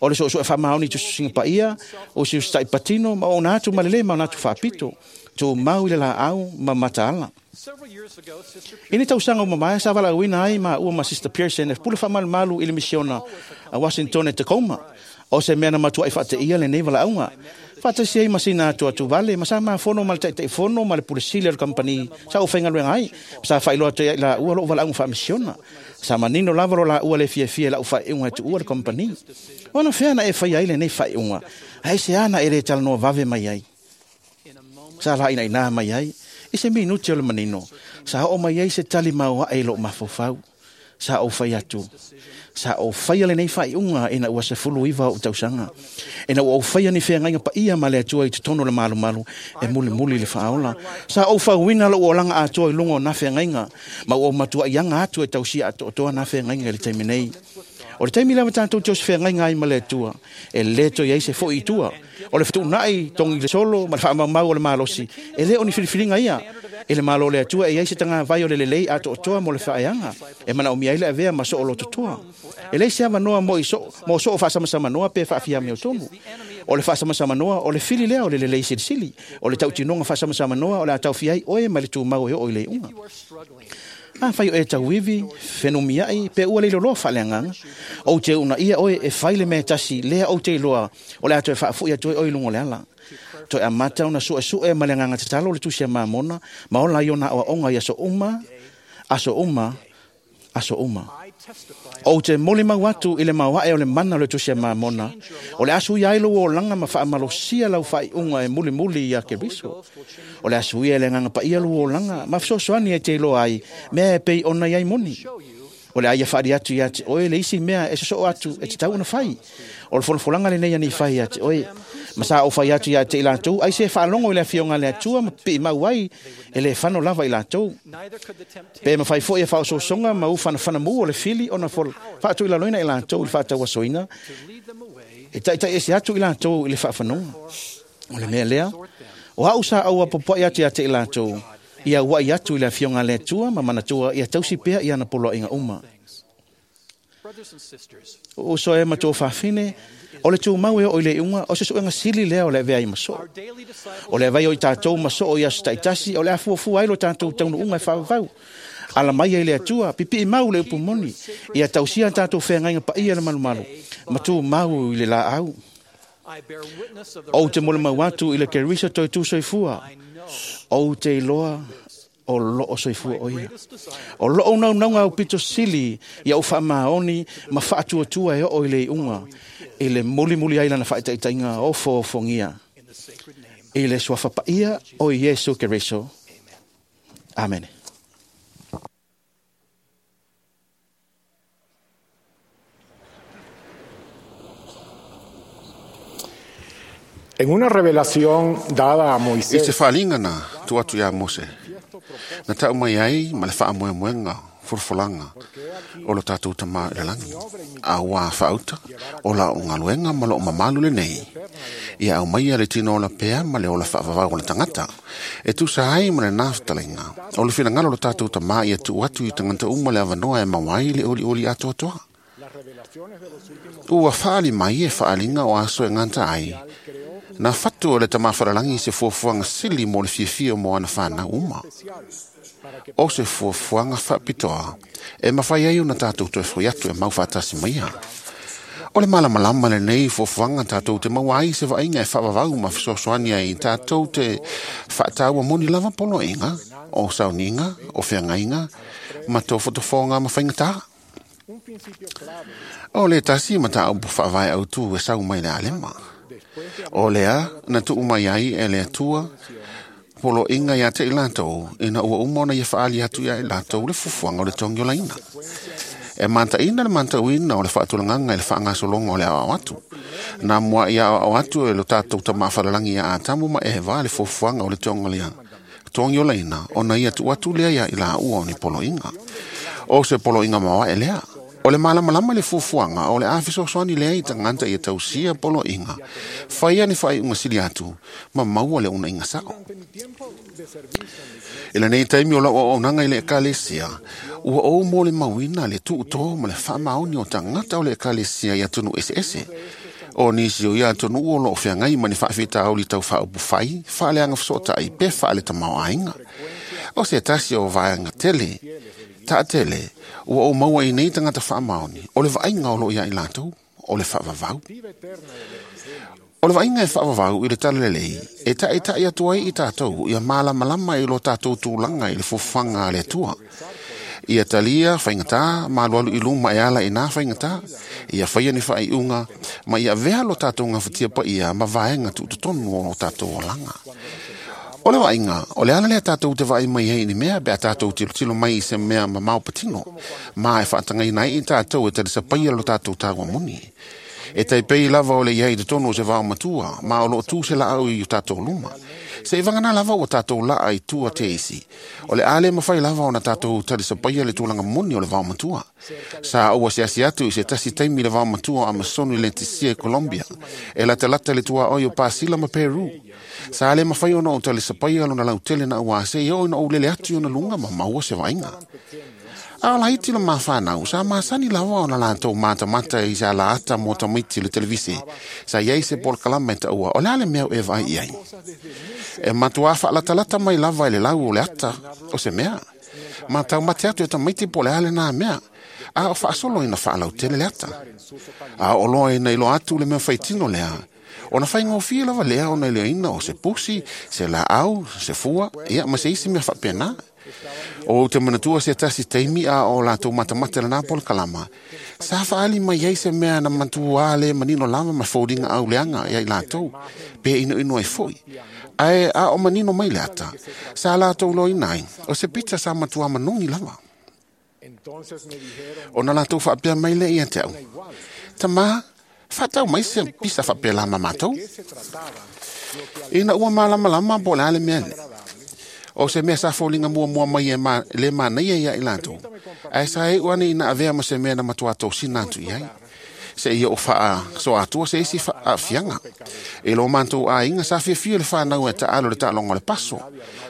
O le soosoo e faamaoni i tusitusiga paia, o siusitaʻi patino ma ona atu ma lelei ma ona atu faapito. Tumau i le laau ma mataala. I ni tausaga ua mamae sa valaauina ai maua ma Sister Pearson e pule faamalumalu i le misiona a Washington e Tacoma. O se mea na matuaʻi faateia lenei valaauga. Faatasi ai ma sina atu atu vale, ma sa mafono ma le taʻitaʻifono ma le pulesili o le kampani sa ou faigaluega ai, ma sa faailoa atu ai laua lou valaauga faamisiona. Sa manino lava lo laua le fiafia i lau faaiuga e tuua le kampani. Ona fea na e faia ai lenei faaiuga, ae se ana e le talanoa vave mai ai. Sa laainainā mai ai, i se minuti o le manino, sa oo mai ai se tali maoaʻe i lou mafaufau. Sa ou fai atu. Sa ou faia lenei faaiuga ina ua 19 ou tausaga. Ina ua ou faia ni feagaiga paia ma le Atua i totonu o le malumalu e mulimuli le faaola. Sa ou fauina lou olaga atoa i luga o nā feagaiga, ma ua ou matuaʻiaga atu e tausia atoatoa nā feagaiga i le taimi nei. O le taimi lava tatou te osi feagaiga ai ma le Atua, e lē toe ai se foʻi i tua. O le fetuunaʻi togi le solo ma le faamaumau o le malosi, e lē o ni filifiliga ia. I le malo o le Atua e ai se tagavai o le lelei atoatoa mo le faaeaga, e manaomia ai le avea ma soo lototoa. E leai se avanoa mo soo faasamasamanoa pe faafiamiotonu. O le faasamasamanoa o le fili lea o le lelei silisili. O le tautinoga faasamasamanoa o le a taofia ai oe mai le tumau e oo i le iuga. A fai o e tauivi, fenumiaʻi, pe ua le iloloa faaleagaga. Ou te uunaia oe e fai le mea tasi lea ou te iloa o le a toe faafoʻi atu ai oe i luga o le ala. Toe amata ona suesue ma le agaga tatalo le tusi a Mamona, ma ola ai ona aoaoga i aso uma, aso uma, aso uma. Ou te molimau atu i le maoae o le mana o le Tusi a Mamona, o le aso ia ai lou olaga ma faamalosia lau faaiuga e mulimuli ia Keriso. O le aso ia e le agaga paia lou olaga ma fesoasoani e te iloa ai mea e pei ona i ai moni. O le aia faali atu ia te oe le isi mea e sosoo atu e tatau ona fai. O le folafolaga lenei ani fai ia te oe. Ma sa ou fai atu ia te i latou, ai se faalogo i le afioga a le Atua ma pipii mau ai e le fano lava i latou. Pe mafai foi e faaosoosoga ma ufanafanamu o le fili ona faatuilaloina i latou i le faatauasoina, e taitai ese atu i latou i le faafanoga. O le mea lea, o au sa auapopoai atu ia te i latou, ia uai atu i le afioga a le Atua ma manatua ia tausi pea i ana poloaiga uma. O uso e ma tō fafine, o le tūmau e o i le iuga, o se suega sili lea o le avea i masoo. O le avai o i tātou masoo i aso taitasi, o le afuafua ai lo tātou taunuunga e whaavau. Ala mai ai le Atua, pipii mau le upu moni, ia tausia tātou wheangaiga paia le malumalu, ma tūmau i le laau. Ou te molimau atu i le Keriso toe tū soifua, ou te iloa o loo soifua o ia. O loo naunauga au pito sili ia u faamaoni ma faatuatua e oo i le iuga, i le mulimuli ai lana faitaitaiga o foofogia. I le suafa paia o Iesu Keriso. Amene. En una revelación dada a I te Moisés, faaaliga na tuu atu iā Mose, na tau mai ai ma le faamoemoega folafolaga o lo tatou tamā i lalagi, a ua faauta o la o galuega ma loo mamalu lenei. Ia au mai le tino ola pea ma le ola faavavau o le tagata, e tusa ai ma lenā fetalaiga. O le finagalo o lo tatou tamā ia tuu atu i tagata uma le avanoa e maua ai le olioli atoatoa. Ua faali mai e faaliga o aso e gata ai, na fatu o le tamā falalagi se fuafuaga sili mo le fiafia mo ana fanau uma. O se fuafuaga faapitoa e mafai ai ona tatou toe foi atu e mau faatasi maia. O le malamalama lenei fuafuaga tatou te maua ai se vaaiga e faavavau ma fesoasoani ai tatou te faataua moni lava poloaiga, o sauniga, o feagaiga, ma tofotofoga ma faigatā. O le tasi mataupu faavae autū e sau mai le alema. O lea na tuu mai ai e le Atua poloaiga ia te i latou, ina ua uma ona ia faali atu ia i latou le fuafuaga o le togiolaina. E mataina le matauina o le faatulagaga i le faagasologa o le aoao atu. Na muai aoao atu e lo tatou tamā falalagi ia Atamu ma Eva le fuafuaga o le togiolaina, ona ia tuu atu lea ia i laua o ni poloaiga. O se poloaiga maoae lea. O le malamalama le fuafuaga o le a fesoasoani lea i tagata ia tausia poloaiga, faia ni faaiuga sili atu, ma maua le unaiga sao. I lenei taimi o lau auaunaga i le ekalesia, ua ou molimauina le tuutō ma le faamaoni o tagata o le ekalesia i atunuu eseese. O nisi o ia atunuu o loo feagai ma ni faafitauli tau faaupufai, faaleaga fesootai pe faaletamāo'aiga. O se tasi o vaega tele, taatele, ua ou maua i nei tagata faamaoni, o le vaaiga o loo ia i latou, o le faavavau. O le vaaiga e faavavau i le talalelei, e taʻitaʻi atu ai i tatou ia malamalama i lo tatou tulaga i le fuafuaga a le Atua. Ia talia faigatā ma alualu i luma e ala i nā faigatā, ia faia ni faaiuga ma ia avea lo tatou gafatia paia ma vaega tuutotonu o lo tatou olaga. O le vaaiga, o le ala lea tatou te vaai mai ai i ni mea pe a tatou tilotilo mai i se mea mamao patino, ma e faatagaina ai i tatou e talisapaia lo tatou taua moni. E taipei lava o le iai totonu o se vao matua, ma o loo tu se laau i o tatou luma. Se i vagana lava ua tatou laa i tua te isi. O le ale mawhai lava o na tatou talisapaia le tulaga moni o le vao matua. Sa aua siasi atu i se tasi taimi le vao matua o Amazon i Leticia i Colombia, e latalata le tua oi o Pasila ma Peru. Sa le mawhai ona o talisapaia lona lautele na ua se i o ina o lele atu i ona lunga ma maua se vaaiga. A o laiti le mafanau, sa masani lava ona latou matamata i sa laata mo tamaiti le televise. Sa iai se polokalame e taua, o le a le mea o e vaai i ai. E matuā faalatalata mai lava i le lau o le ata o se mea. Ma taumate atu e tamaiti po o le a lenā mea, a o faasolo ina faalautele le ata. A o loa ina iloa atu le mea faitino lea, ona faigofie lava lea ona iloaina o se pusi, se laau, se fua, ia ma se isi mea faapena. O ou te manatua se tasi taimi a o latou matamata lena polokalama. Sa faali mai ai se mea na matua le manino lava ma foliga auleaga ia i latou, pe inoino ai foi. Ae a o manino mai le ata, sa latou loina ai, o se pita sa matua manogi lava. Ona latou faapea mai lea ia te au, Tamā, faatau mai se pisa faapelā ma matou. Ina ua malamalama po o le a le mea lea. O se mea sa foliga muamua mai e le manaia ia i latou. Ae sa iu ane ina avea ma se mea na matua tosina atu i ai. Se ia o faasoa atua se isi aafiaga. I lo matou aiga sa fiafia le fanau e taalo le taaloga o le paso.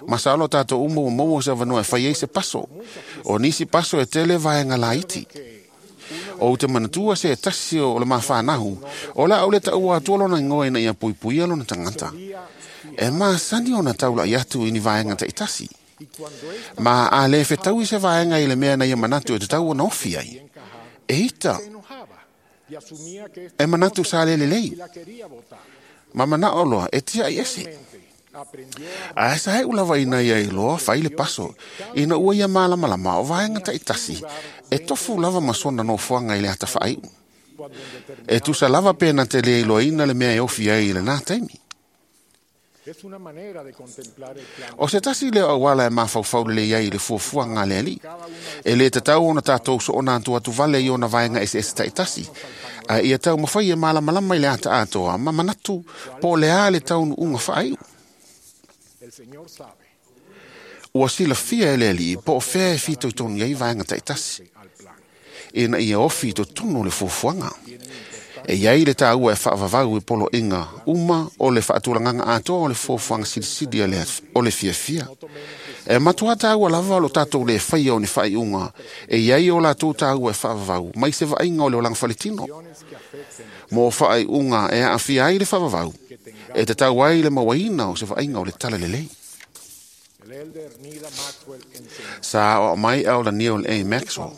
Masalo tatou uma ua maua se avanoa e fai ai se paso. O nisi paso e tele vaega laiti. Ou te manatua se tasi o le mafanau, o le a ou le taua atua lona igoa ina ia puipuia lona tagata. E masani ona taulai atu i ni vaega taitasi. Ma a le fetaui se vaega i le mea na ia manatu e tatau ona ofi ai. E ita, e manatu sa le lelei. Ma manao loa e tiai ese. Ae sa e'u lava ina ia iloa fai le paso, ina ua ia malamalama o vaega taitasi, e tofu lava ma sona nofoaga i le ata faaiu. E tusa lava pe na te le iloaina le mea e ofi ai i lenā taimi. O se tasi lea o auala e mafaufau lelei ai i le fuafuaga a le Alii. E lē tatau ona tatou soona atu atu vale i ona vaega eseese taitasi, ae ia taumafai e malamalama i le ata atoa ma manatu po o le a le taunuuga faaiu. Ua silafia e le Alii po o fea e fitoitonu ai vaega taitasi, ina ia ofi i totonu o le fuafuaga. E iai le taua e faavavau i poloaiga uma o le faatulagaga atoa o le fuafuaga silisili o le fiafia. E matua taua lava o lo tatou le faia o ni faaiuga e iai o latou taua e faavavau mai se vaaiga o le olaga faletino. Mo faaiuga e aafia ai le faavavau, e tatau ai le mauaina o se vaaiga o le talalelei. Sa aoao mai Elder Neal A. Maxwell.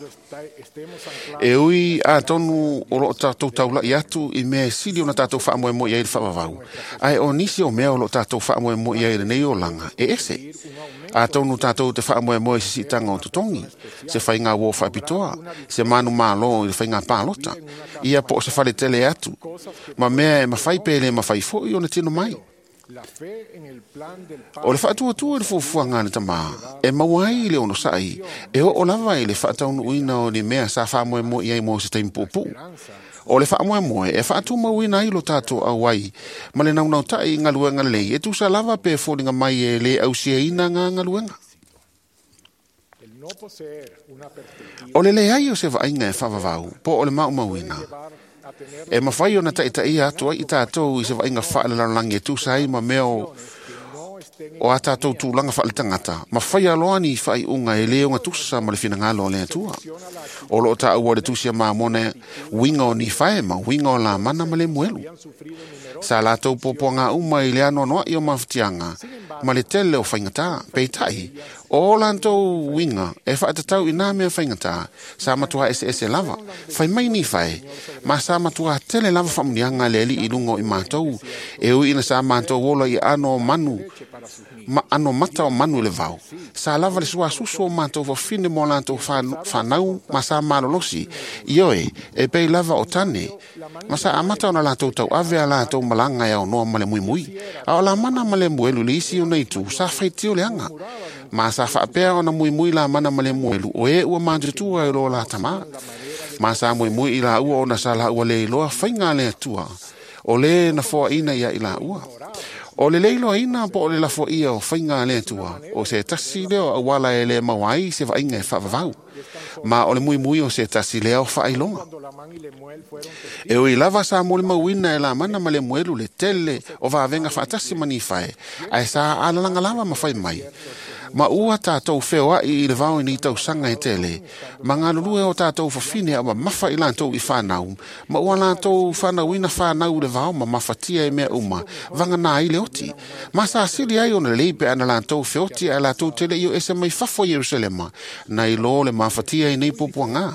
E ui atonu o loo tatou taulai atu i mea e sili ona tatou faamoemoe i ai le faavavau, ae o nisi o mea o loo tatou faamoemoe i ai lenei olaga e ese. Atonu tatou te faamoemoe i se siitaga o totogi, se faiga uo faapitoa, se manumalo i le faiga palota, ia po o se faletele atu, ma mea e mafai pe le mafai foi ona tino mai. O le faatuatua i le fuafuaga a le Tamā, e maua ai le onosai, e oo lava i le faataunuuina o ni mea sa faamoemoe i ai mo se taimi puupuu. O le faamoemoe e faatumauina ai lo tatou auai ma le naunautai i galuega lelei e tusa lava pe foliga mai e lē ausiaina gā galuega. O le leai o se vaaiga e faavavau po o le maumauina, e mafai ona taitaia atu ai i tatou i se vaaiga faalelalolagi e tusa ai ma mea o a tatou tulaga faaletagata, ma faia loa ni faaiuga e lē ogatusa ma le finagalo o le Atua. O loo taua le tusi a Mamona uiga o Nifae ma uiga o Lamana ma Lemuelu. Sa latou puapuaga uma i le anoanoai o mafatiaga ma le tele o faigatā. Peitai, o latou uiga e faatatau i nā mea faigatā, sa matua eseese lava. Fai mai Nifae, ma sa matua tele lava faamuniaga a le Alii i luga o i matou, e ui ina sa matou ola i aano o manu, ma ano mata o manu i le vao. Sa lava le suasusu o matou fafine mo latou fanau ma sa malolosi. Ioe, e pei lava o tane. Ma sa amata ona latou tauave a latou malaga e aonoa ma le muimui. A o Lamana ma Lemuelu le isi ona itu sa faitio leaga. Ma sa faapea ona muimui Lamana ma Lemuelu o e ua matutua i lo la tamā. Ma sa muimui i laua ona sa laua le iloa faiga a le Atua. O le na foaina ia i laua. O le leiloaina po o le lafoia o faiga a le Atua, o se tasi lea o auala e le maua ai se vaaiga e faavavau. Ma o le muimui o se tasi lea o faailoga. E ui lava sa molimauina e Lamana ma Lemuelu le tele o vavega faatasi ma Nifae, ae sa alalaga lava ma fai mai. Ma ua tatou feoai i le vao i nei tausaga e tele, ma galulue o tatou fafine a mamafa i latou i fanau, ma ua latou fanauina fanau i le vao ma mafatia e mea uma, vagana ai le oti. Ma sa sili ai ona lelei pe ana latou feoti ae latou te le i o ese mai fafo i Ierusalema, nai lo le mafatia i nei puapuaga.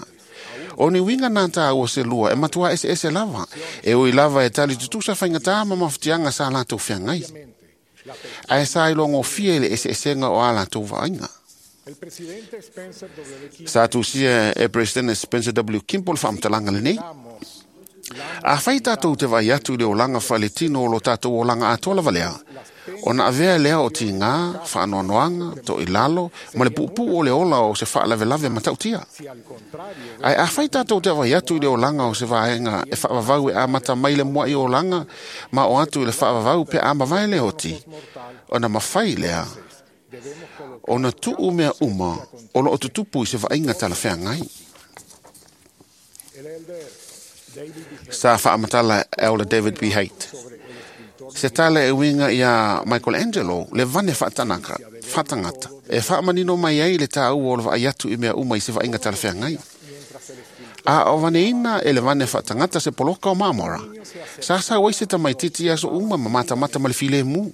O ni uiga na tāua se lua e matua eseese lava, e ui lava e tali tutusa faigatā ma mafatiaga sa latou feagai. Ae sa ilogofie i le eseesega o a latou vaaiga. Sa tusia e President Spencer W. Kimball faamatalaga lenei. Afai tatou te vaai atu i le olaga faaletino o lo tatou olaga atoa lava lea, ona avea lea o tigā, faanoanoaga, toilalo ma le puupuu o le ola o se faalavelave matautia. Ae afai tatou te vaai atu i le olaga o se vaega e faavavau e amata mai le mua'i olaga ma o atu i le faavavau pe a mavae le oti, ona mafai lea ona tuu mea uma o loo tutupu i se vaaiga talafeagai. Sa faamatala Elder David B. Haight. Se tala e uiga iā Michelangelo le vane faatanaka, faatagata, e faamanino mai ai le tāua o le vaai atu i mea uma i se vaaiga talafeagai. A o vaneina e le vane faatagata se poloka o mamora, sa sau ai se tamaititi i aso uma ma matamata ma le filemu.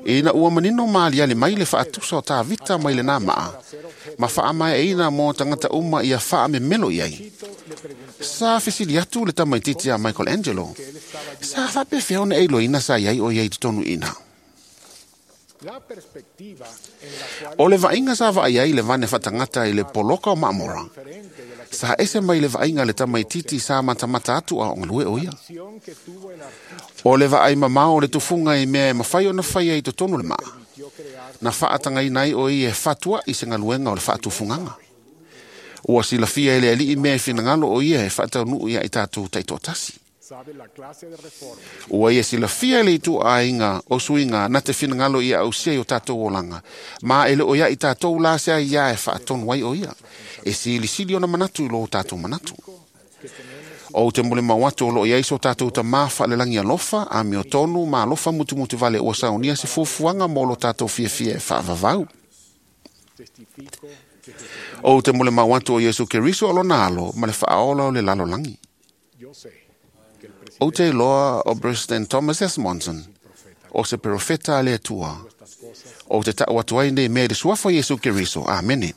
Ina ua manino maaliali mai le faatusa o Tavita mai lenā maa, ma faamaeaina mo tagata uma ia faamemelo i ai. Sa fesili atu le tamaititi a Michelangelo, sa faapefea ona e iloaina sa iai o iai totonu i ina. O le vaaiga sa vaai ai le vane faatagata i le poloka o Maamora, sa ese mai le vaaiga le tamaititi sa matamata atu a o galue o ia. O le vaai mamao o le tufuga i mea e mafai ona faia i totonu o le maa, na faatagaina ai o ia e fatuai se galuega o le faatufugaga. Ua silafia e le alii mea e finagalo o ia e faataunuu ia i tatou taitoatasi. Ua ia silafia le ituaiga o suiga na te finagalo ia ausia i o tatou olaga, ma e le o ia i tatou la se ai ia e faatonu ai o ia, e silisili ona manatu i lo tatou manatu. Ou te molimau atu o loo iai so tatou tamā faalelagi alofa, amiotonu ma alofa mutumutu vale ua saunia se fuafuaga mo lo tatou fiafia e faavavau. Ou te molimau atu o Iesu Keriso o lona alo ma le faaola o le lalolagi. Ou te iloa o President Thomas S. Monson, o se perofeta a le Atua. Ou te tau atu ai nei mea i le suafa o Iesu Keriso. Amene.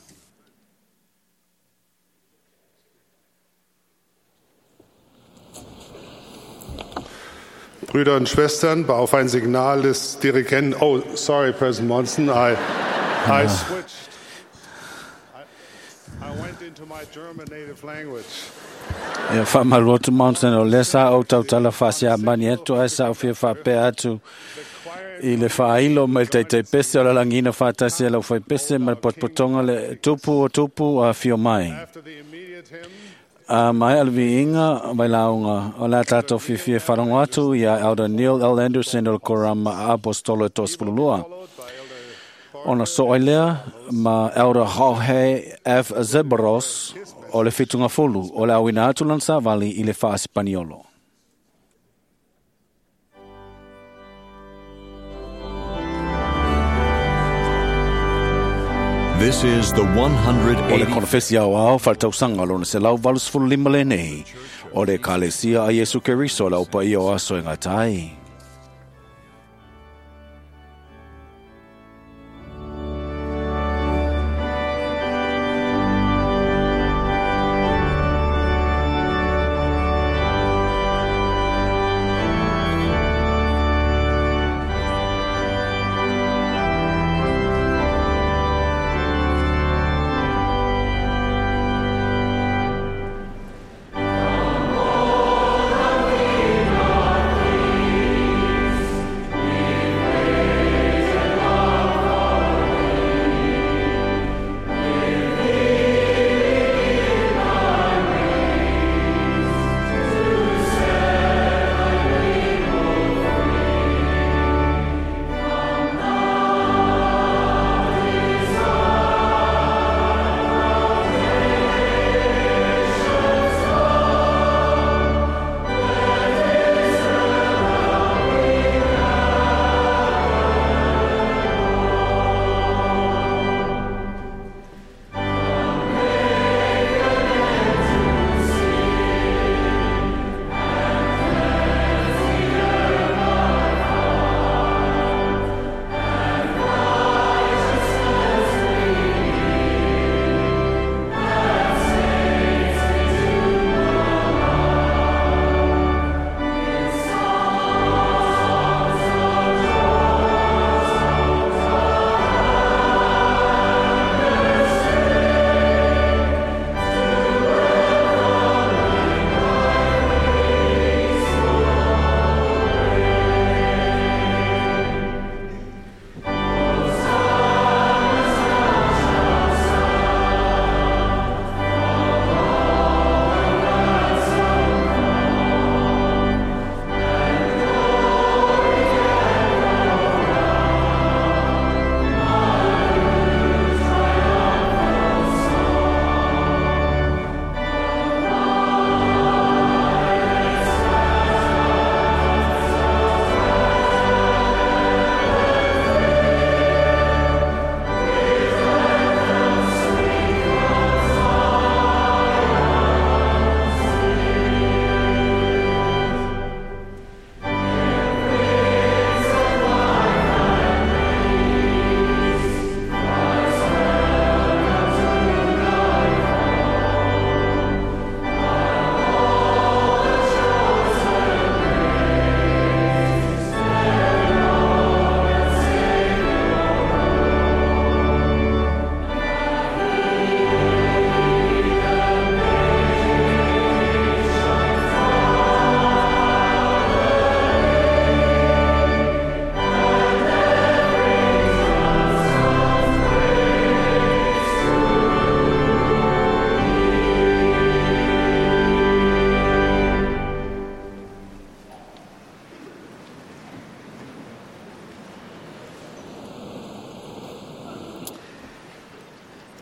Brüder und Schwestern, auf ein Signal des Dirigenten. Oh, sorry, President Monson, I switched. I went into my German native language. Ia faamalu atu Mountain o lea sa ou tautala faasiamani atu ae sa ou fia faapea atu i le faailo mai le taitaipese o le lagiina faatasi e lau faipese ma le potopotoga le tupu o tupu a fio mai. A mai le viiga mai lauga o le a tatou fiafia e faalogo atu ia Elder Neil L. Anderson o le Korama Apostolo e 32. Ona soo ai lea ma Elder Jorge F. Zebros o le fitugafulu o le auina atu lana savali i le faasipaniolo. This is the O le 180 konofesi aoao faaletausaga lona 185 lenei o le Ekalesia a Iesu Keriso le aupaia o aso e gata ai. 185.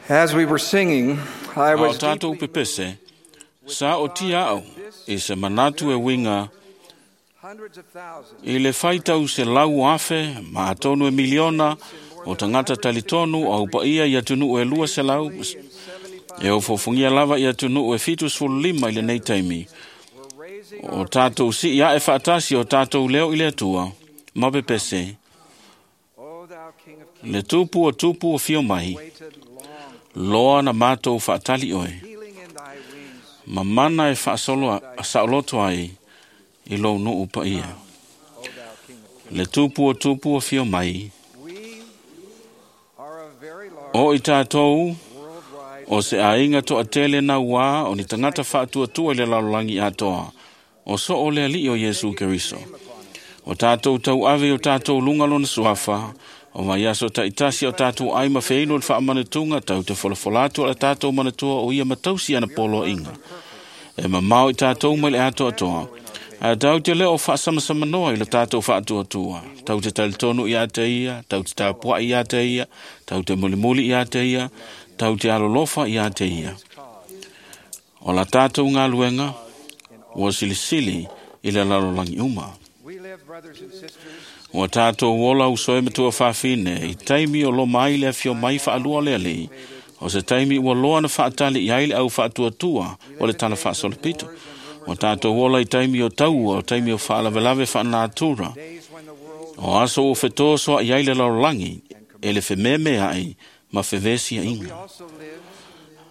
As we were singing, I A o was tātou pepese, sa o tia au, i se manatu e winga, i le whaitau se lau afe, ma atonu e miliona, o tangata talitonu au paia i atunu e 200, e o fofungia lava i atunu e 75 i le nei taimi. O tātou si ia e whaatasi o tātou leo i le atua, ma pepese, le tupu o tupu o fio mai, loa na mātou whaatali oe, ma mana e whaasoloto ai i lou nuu pa ia. Le tupu o tupu o fio mai, o i tātou, o se ainga toa tele na wā o ni tangata whaatuatua i le lalolagi atoa, o so o le ali o Iesu Keriso. O tātou tau ave o tātou lunga lona suafa, o mai aso taitasi o tātou ai ma wheino le whaamanatunga tau te folafolatu o le tātou manatua o ia matausi ana polo inga. E mamao i tātou mai le atoa atoa. A tau te leo whaasamasama noa i le tātou whaatuatua. Tau te talitonu i a te ia, tau te tāpua i a te ia, tau te mulimuli i a te ia, tau te alolofa i a te ia. O la tātou ngā luenga, ua silisili i le lalolangi uma. Ua tātou ola usoe matua whawhine, i taimi o lo mai le whio mai whaalua le alii, o se taimi ua loa na whaatali i aile au whaatuatua o le tala whaasolopito. O tātou ola i taimi o taua, o taimi o whaalawelawe whaanatura. O aso o whetoa soa i aile lalolagi, e le whememe ai, ma whewesi a inga.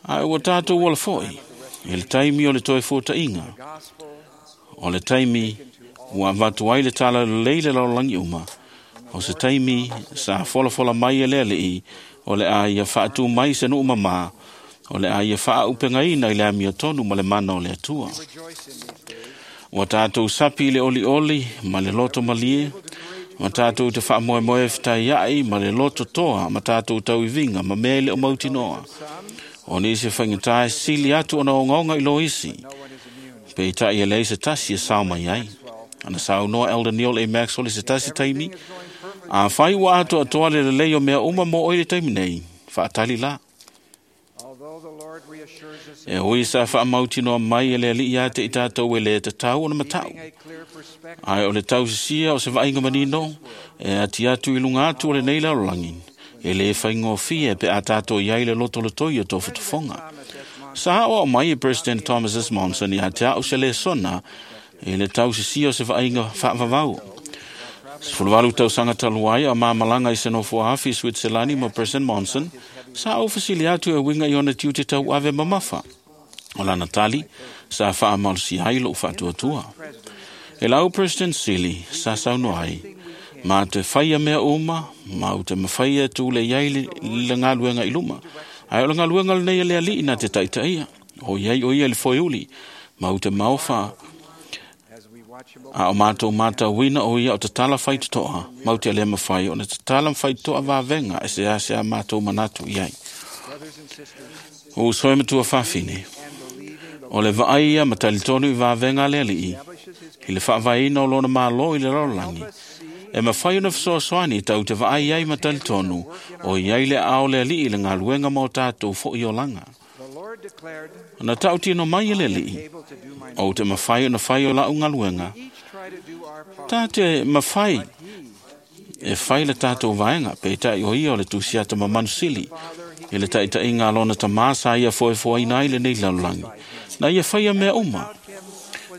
Ai ua tātou ola foi, i le taimi o le toe fōta inga. O le taimi ua avatu ai le tala lelei le lalolagi uma. O se taimi sa folafola mai e le alii, o le a ia whaatu mai se nuu mamā, o le a ia whaaupengaina i le amio tonu ma le mana o le atua. Ua tātou sapi i le oli oli ma le loto malie, ma tātou te whaamoemoe whitai ai ma le loto toa ma tātou tauivinga ma mea i le o mautinoa. O nisi whaingatai sili atu ona ongaonga i lo isi. Pe i tai e lei se tasi e sao mai ai. Ana sao noa Elder Neil A. Maxwell i se tasi taimi. A whai ua atoa atoa le lelei o mea uma mō oi le taimi nei. Whaatali la. E ui sa whaamautinoa mai e le alii a te i tātou e le te tau o na matau. Ai o le tausisia o se vainga manino, e ati atu i lunga atu o le nei lalolagi. E le whaingofie pe a tātou iai le loto le toi o tō whatafonga. Sa o mai e President Thomas S. Monson i a te au se le sona e le tausisia o se vainga whaavavau. Sefuluvalu tausaga talu ai a mamalanga i se nofoa afi i Switzerland ma President Monson, sa au fesili atu e winga i ona tiute tau ave mamafa. O lana tali, sa whaamalosi ai lou whaatuatua. E lau President Sili, sa sauno ai, ma te whaia mea uma, ma u te mawhaia tūle iai le ngaluenga i luma. Ai o le ngaluenga le nei e le alii na te taitaia. O iai o ia le foiuli, ma u te maofa a o mātou mātauina o ia o te tala whaitotoa, mau te lema whai, o na te tala whaitotoa vāvenga e se ase a mātou manatu i ai. O usoe matua whawhine, o le vaai ia matalitonu i vāvenga le alii, i le whaavaina o lona mālo i le lalolagi, e mawhai ona whasoasoani tau te vaai ai matalitonu, o i ai le ao le alii le ngaluenga mō tātou fo i olanga. Na tau tino mai e le alii, o te mawhai o na whai o lau ngaluenga. Tā te mawhai e whai le tātou vaenga, pe tai o ia o le tusiata mamanusili, i le taitai ngā lona tamasa ia foe foe ina i le nei lalolagi. Na ia whaia mea uma.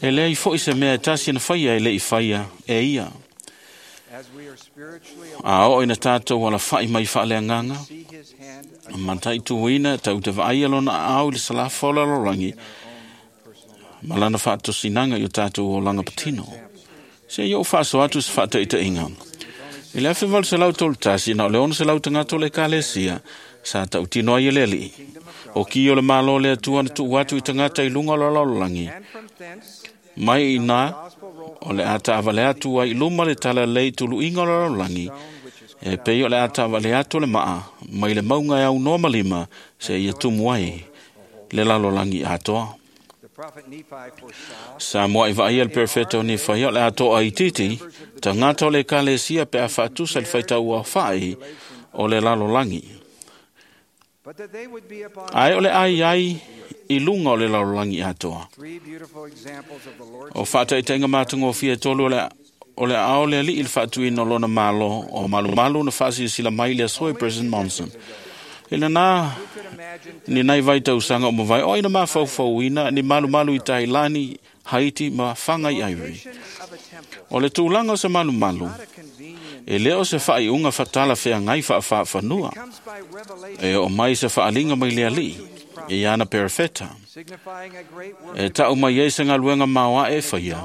E lei fo i se mea e tasi na whaia e le i whaia e ia. A o ina tātou wala whai mai whaalea nganga, matai tuina tau te vaai lona au i le salafa o lalolagi, malana whaatosinanga i o tātou o langa patino. Se i o whaaso atu se whaataitainga. I le awhi se lau tolu tasi, na o le ono se lau tangato le kalesia, sa tau tino ai e le alii. O ki o le malo le atua na tuu atu i tangata i lunga o le lalolagi. Mai i nā, o le ata awale atu ai luma le tala lei tulu inga o le lalolagi, e pei o le ata awale atu le maa, mai le maunga e au noa malima, se ia tumu ai le lalolagi atoa. Sa moa i vaai el perfecto ni whai o le atoa i titi, tangata o le kalesia pe a whaatusa le whaitau a whai o le lalolagi. Ae o le ai ai i luga o le lalolagi atoa. O faataitaiga matagofie e tolu o le ao le alii le faatuina o lona malo o malumalu na faasilasila mai le aso e President Monson. I lena ni nai vai tausaga o mavae o aina mafaufauina ni malumalu i Tailani, Haiti ma Fanga i Ivory. O le tulaga o se malumalu, e le o se faaiuga fatala feagai faafaafanua. E oo mai se faaliga mai le alii, i ana perefeta. E tau mai ai se galuega maoae e faia,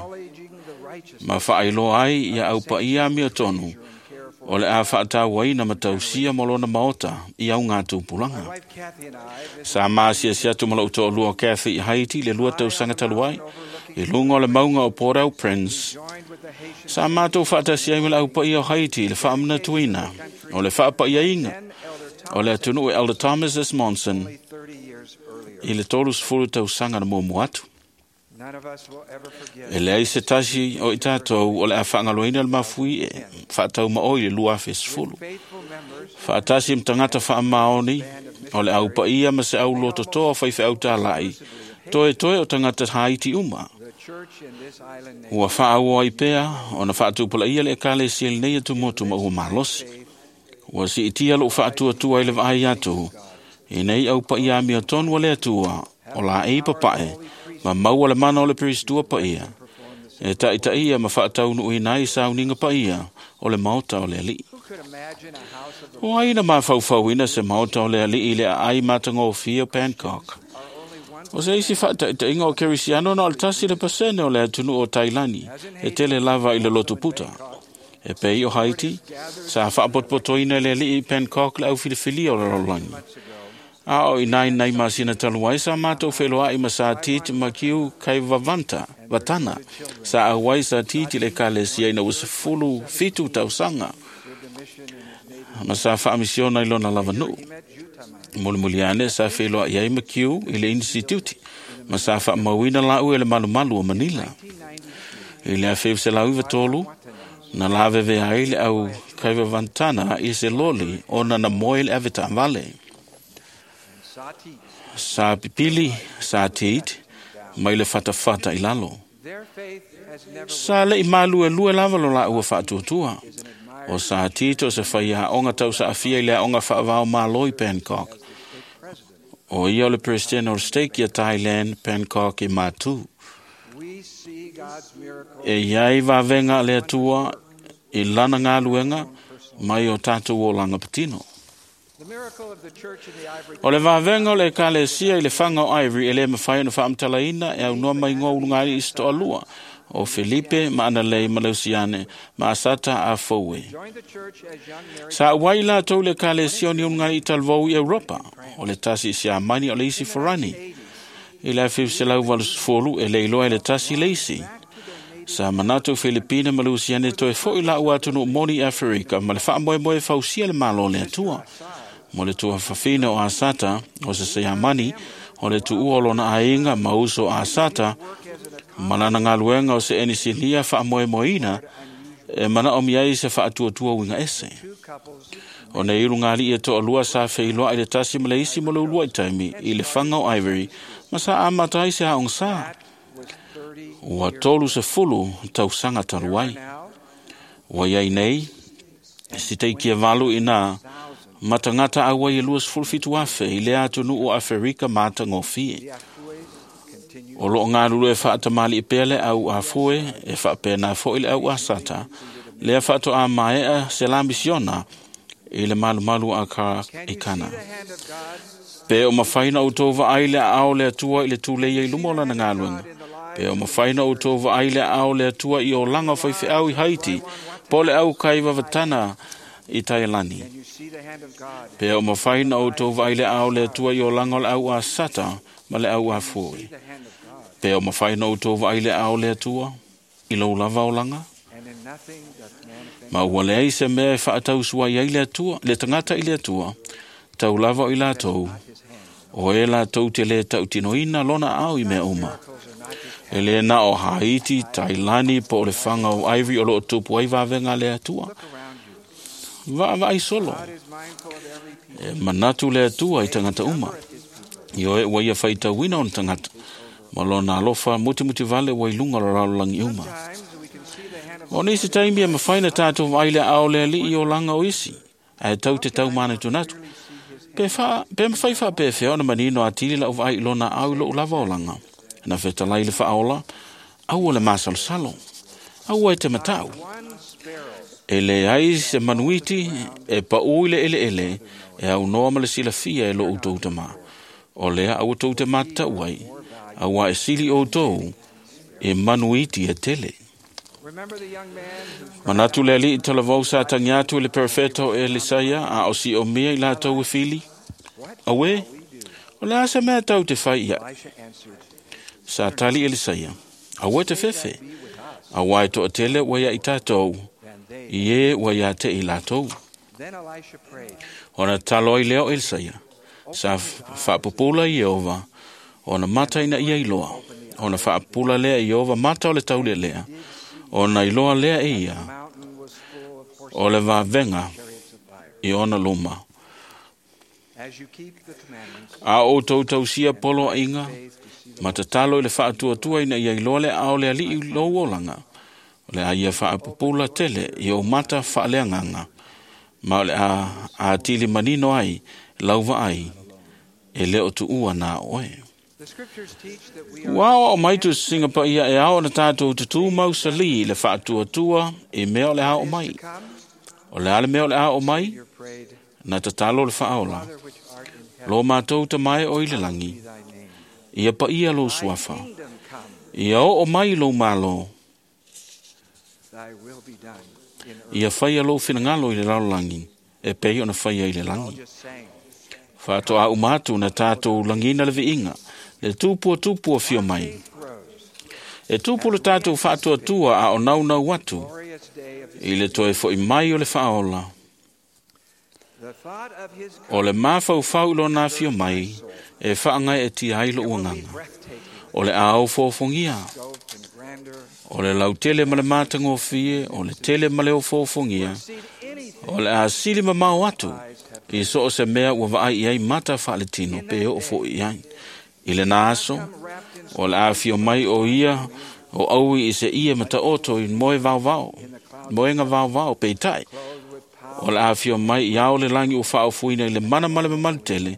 ma faailoa ai ia aupaia amiotonu o le a faatauaina ma tausia mo lona maota i au ngā tupulaga. Sa maasiasi atu ma lou toalua o Cathy i Haiti le 2 tausaga talu ai, i luga o le mauga o Port-au-Prince. Sa matou faatasi ai ma le aupaia o Haiti i le faamanatuina o le faapaiaina o le atunuu e Elder Thomas S. Monson i le 30 tausaga na muamua atu. E leai se tasi o i tātou o le a faagaloina le mafui e faatauma oi le 2010. Faatasi ma tagata faamaoni o le aupaia ma se au lototoa faifeau tālai, toe toe o tagata Haiti uma. Ua faaauau ai pea ona faatupulaia le ekalesia i lenei atumotu ma ua malosi. Ua siitia lou faatuatua i le vaai atu, i nei aupaia amiotonu a le Atua o laei papae, ma maua le mana o le peristua paia, e taitaia ma faataunuuina ai sauniga paia o le maota o le alii. O ai na mafaufauina se maota o le alii i le aai matagofie o Bangkok. O se isi faataitaiga o Kerisiano na o le 1% o le atunuu o Tailani e tele lava i le lotu puta. E pei o Haiti, sa faapotopotoina e le alii i Bangkok le aufilifilia o le lalolagi. A o i nai nai masina talu ai sa matou feloai ma sa titi ma kiu kai vavanta, vatana, sa auai sa titi le ekalesia ina ua 17 tausaga ma sa faamisiona i lona lavanuu. Mulimuli ane sa feloai ai ma kiu i le instituti ma sa faamauina lau e le malumalu o Manila. I le 1993, na laveve ai le au kai vavantana i se loli ona na moe le avetaavale. Sa pipili, sa tit, mai le fatafata i lalo. Sa lei maluelue lava lo laua faatuatua. O sa tito se whai aonga tau sa afia i le aonga whaavao malo i Bangkok. O ia o le President o le Stake ia Thailand, Bangkok i Matu. E iai vavenga le atua i lana ngāluenga mai o tātou o langa patino. O le vavenga o le ekalesia i le fanga o Ivory e le mawhai ona whaamtalaina e au noa mai ngō ulungali i sitoa lua o Felipe ma Analei ma Leusiane ma Asata a Fowe. Sa uai la tau le ekalesia o ni ulungali i talvou i Europa, o le tasi i Siamani o le isi forani. I le 1980 e leiloa e le tasi le isi. Sa manatu Filipina ma Lusiane toe foi la ua atunu moni Afrika ma le faamoemoe fausia le malo le atua. Mo le tuafafina o Asata, o se Siamani, o le tuua o lona aiga ma uso Asata, ma lana galuega o se enisinia faamoemoeina e manaomia ai se faatuatua uiga ese. O nei ulugalii e toalua sa feiloai le tasi ma le isi mo le uluai taimi i le faga o Ivory ma sa amata ai se aogasā. Ua 30 tausaga talu ai. Ua iai nei, si teikia valu ina matagata auai e 27,000 i lea atunuu o Aferika matagofie. O loo galulue e faatamali'i pea le au afue e faapena fo'i le au asata, lea faatoā maea se la misiona i le malumalu a ka i Kana. Pe o mafai na outou vaai le aao le Atua i le tuleia i luma o lana galuega. Pe o mafai na outou vaai le aao le Atua i olaga o faifeau i Haiti, po le au kai vavatana i Tailani. Pe o mafai na outou vaai le aao le Atua i olaga o le au asata ma le au afue. Pe o mafai na outou vaai le aao le Atua i lou lava olaga. Ma ua leai se mea e faatausuai ai le Atua, le tagata i le Atua, tau lava o i latou, o e latou te le tautinoina lona ao i mea uma. E le na o Haiti, Tailani, po o le faga o Ivory o loo tupu ai vavega le Atua. Vaavaai solo. E manatu le Atua i tagata uma. Ioe ua ia faitauina ona tagata. Ma lona alofa mutimuti vale ua i luga o le lalolagi uma. O nisi taimi e mafai na tātou vaai le aao le Alii i olaga o isi, ae tau te tau manatunatu. Pe, pe mafai faapefea ona manino atili lau vaai i lona aao i lou lava olaga. Na fetalai le faaola, aua le masalosalo, aua e te matau. E leai se manuiti e paū i le eleele e aunoa ma le silafia e lo outou tamā. O lea aua tou te matatau ai, auā e sili outou e manuiti e tele. Manatu le Alii talavou sa tagi atu i le perofeta o Elisaia a o siomia i latou e fili. Auē, o le a se mea tau te fai iaʻu? Sa tali Elisaia, aua e te fefe, auā e toatele ua ia i tatou, i e ua iā te i latou. Ona tatalo ai lea o Elisaia, sa faapupula Ieova, ona mata ina ia iloa. Ona faapupula lea e Ieova mata o le taulelea, ona iloa lea e ia, o le vavega i ona luma. A o outou tausia poloaiga, ma tatalo i le faatuatua ina ia iloa le aao o le Alii i lou olaga, o le a ia faapupula tele i ou mata faaleagaga, ma o le a atili manino ai lau vaai e le o tuua na oe. Ua aoao mai tusisiga paia e ao ona tatou tutū mausalī i le faatuatua i mea o le a oo mai. O le a le mea o le a oo mai? Na tatalo le faaola. Lo matou Tama e o i le lagi, ia paia lou suafa. Ia oo mai lou Malo. Ia faia lou finagalo i le lalolagi, e pei ona faia i le lagi. Faatoa uma atu na tatou lagiina le viiga, le tupu o afio mai. E tupu le tatou faatuatua a o naunau atu i le toe fo'i mai o le faaola. O le mafaufau i lona afio mai e faagaeetia ai lou agaga. O le a ofoofogia. O le lautele ma le matagofie, o le tele ma le ofoofogia. O le a sili mamao atu i so o se mea ua vaai i ai mata faaletino pe oo fo'i i ai. I lena aso, o le a afio mai o ia o aui i se ie mataoto i moe vaovao, moega vaovao peitai. O le a afio mai i ao le lagi ua faaofoina i le mana ma le mamalu tele,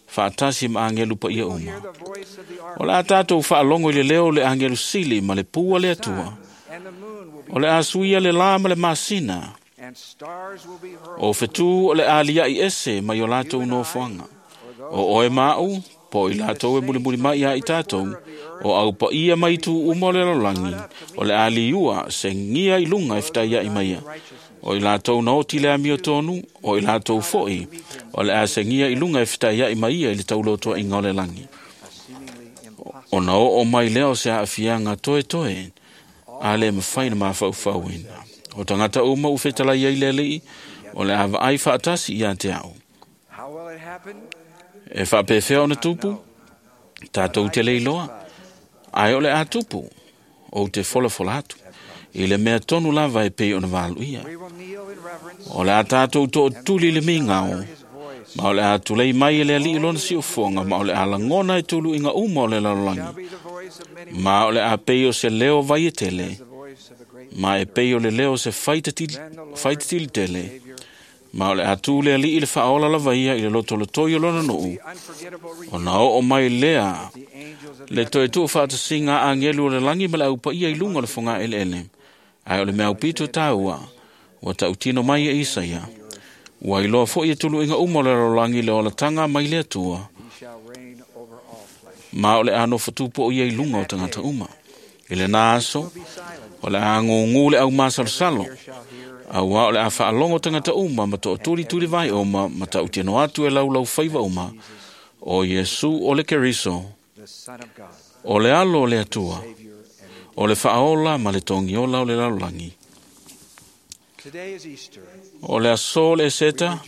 faatasi ma agelu paia uma. O le a tatou faalogo i le leo o le agelu sili ma le pua le Atua. O le a suia le lā ma le masina. O fetū o le a liaʻi ese mai o latou nofoaga. O oe ma aʻu, po o i latou e mulimuli mai iā i tatou, o aupaia mai itu uma o le lalolagi, o le a liua segia i luga e fetaiaʻi mai ia. O i latou na oti le amiotonu, o i latou fo'i, o le a segia i luga e fetaiaʻi mai ia i le taulotoaʻiga o le lagi. Ona oo mai lea o se aafiaga toetoe, a le mafai na mafaufauina. O tagata uma ua fetalai ai le Alii, o le a vaai faatasi iā te aʻu. E faapefea ona tupu? Tatou te le iloa. Ae o le a tupu, ou te folafola atu. I le mea tonu lava e pei ona valuia. O le a tatou tootuli i le migao, ma o le a tulei mai e le Alii lona siufofoga, ma o le a lagona e tuluiga uma o le lalolagi. Ma o le a pei o se leo vai e tele, ma e pei o le leo o se faitatili tele, ma o le a tū le Alii le faaola lava ia i le lotolotoi o lona nuu, ona oo mai lea le toe tuufaatasiga a agelu o le lagi ma le aupaia i luga o le fogaeleele. Ae o le mea aupito taua, ua tautino mai e Isaia, ua iloa fo'i e tuluiga uma o le lalolagi le olataga mai le Atua, ma o le a nofotupu o ia i luga o tagata uma. I lena aso, o le a gugū le aumasalosalo, auā o le a faalogo tagata uma ma tootulituli vai uma ma tautino atu e laulaufaiva uma, o Iesu o le Keriso, o le alo o le Atua, o le faaola ma le togiola o le lalolagi. O le aso o le Eseta,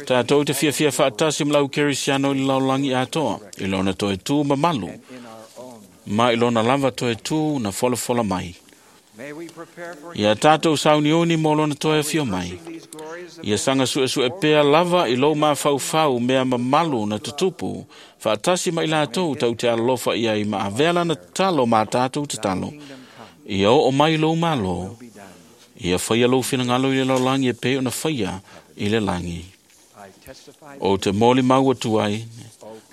tatou te fiafia faatasi ma lau Kerisiano i le lalolagi atoa, i lona toe tū mamalu, ma i lona lava toe tū na folafola mai. Ia tatou sauniuni mo lona toe afio mai. Ia saga suesue pea lava i lou mafaufau mea mamalu na tutupu, faatasi ma i latou tau te alolofa i ai ma avea lana tatalo ma tatou tatalo. Ia oo mai lou malo, ia faia lou finagalo i le lalolagi e pei ona faia i le lagi. O te moli mau atu ai,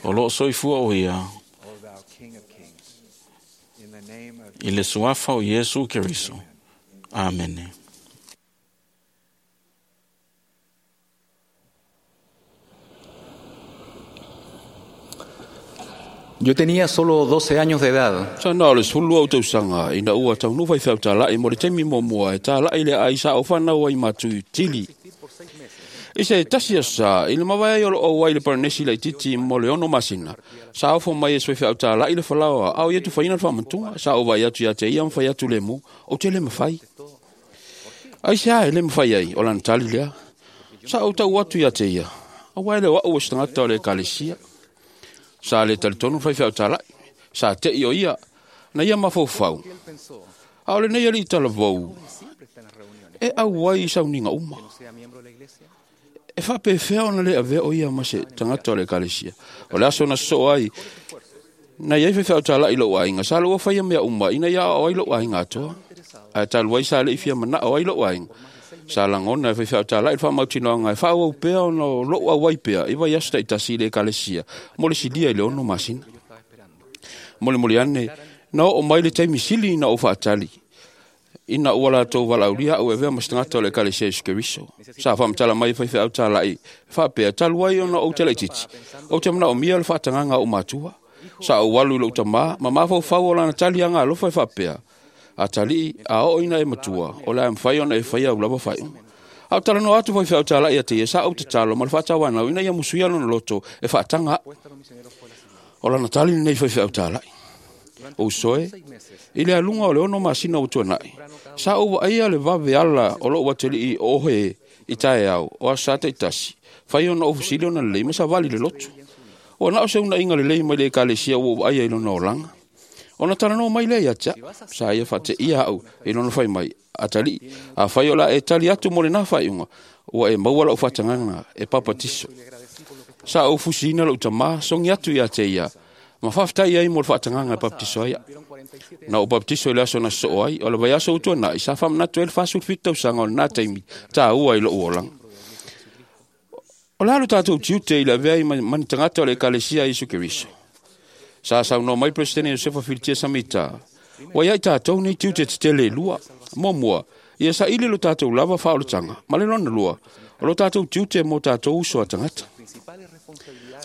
o loo soifua o ia, i le suafa o Iesu Keriso. Amene. Yo tenía solo 12 años de edad. Sa na o le sulu au tausaga ina ua taunuu faifeau tāla'i mo le taimi muamua e tāla'i le ai sa o fanau ai matu i Tili. I se tasi aso sa i le mavae ai o loo au ai le Paranesi laitiiti mo le 6 masina, sa ofo mai e se faifeau tāla'i le falaoa a o ia tufaina le faamatuga. Sa ou vaai atu ia te ia ma fai atu lemu, ou te le mafai. Aisea e le mafai ai, o lana tali lea. Sa ou tau atu ia te ia, auā e le o a'u o se tagata o le ekalesia. Sa le talitonu faifeau tāla'i, sa te'i o ia, na ia mafaufau. A o lenei alii talavou, e auai i sauniga uma. E faapefea ona le avea o ia ma se tagata o le ekalesia. O le aso na sosoo ai, na iai faifeau tāla'i i lou aiga, sa loua faia mea uma ina ia aoao ai lou aiga atoa. Ae talu ai sa le'i fia mana'o ai lou aiga. Sa lagona e faifeau tāla'i le faamautinoaga e faaauau pea ona o lou auai pea i vaiaso ta'itasi i le ekalesia mo le silia i le 6 masina. Molimoli ane, na oo mai le taimi sili ina ou faatali, ina ua latou valaaulia a'u e avea ma se tagata o le ekalesia Iesu Keriso. Sa faamatala mai e faifeau tāla'i faapea, talu ai ona ou te laitiiti, ou te manaomia le faatagaga a ou matua. Sa ou alu i lou tamā, ma mafaufau o lana tali agalofa e faapea, atalii, a oo ina e matua, o le a mafai ona e faia au lava faaiuga. A o talanoa atu faifeau tāla'i ia te ia, sa ou tatalo ma le faatauanau ina ia musuia lona loto e faataga a'u. O lana tali lenei faifeau tāla'i. Ou soe, i le aluga o le 6 masina ua tuana'i, sa ou vaaia le vave ala o lou atalii o ohe i taeao o aso sa ta'itasi, fai ona ou fesili ona lelei ma savali le lotu. Ua na o se uunaiga lelei mai le ekalesia ua ou vaaia i lona olaga. Ona talanoa mai lea ia te a'u, sa ia faateia a'u i lona fai mai, atalii, afai o le a e tali atu mo lenā faaiuga, ua e maua la'u faatagaga e papatiso. Sa ou fusiina lou tamā, sogi atu ia te ia, ma faafetai ai mo le faatagaga e papatiso ai a'u. Na ou papatiso i le aso na sosoo ai, o le vaiaso ua tuana'i, sa faamanatu ai le 47 tausaga o lenā taimi tāua i lo'u olaga. O le a lo tatou tiute i le avea ai ma ni tagata o le ekalesia a Iesu Keriso. Sa saunoa mai Peresetene Iosefa Filitia Samita, ua iai tatou nei tiute tetele e lua. Muamua, ia saili lo tatou lava faaolataga, ma le lona lua, o lo tatou tiute mo tatou uso a tagata.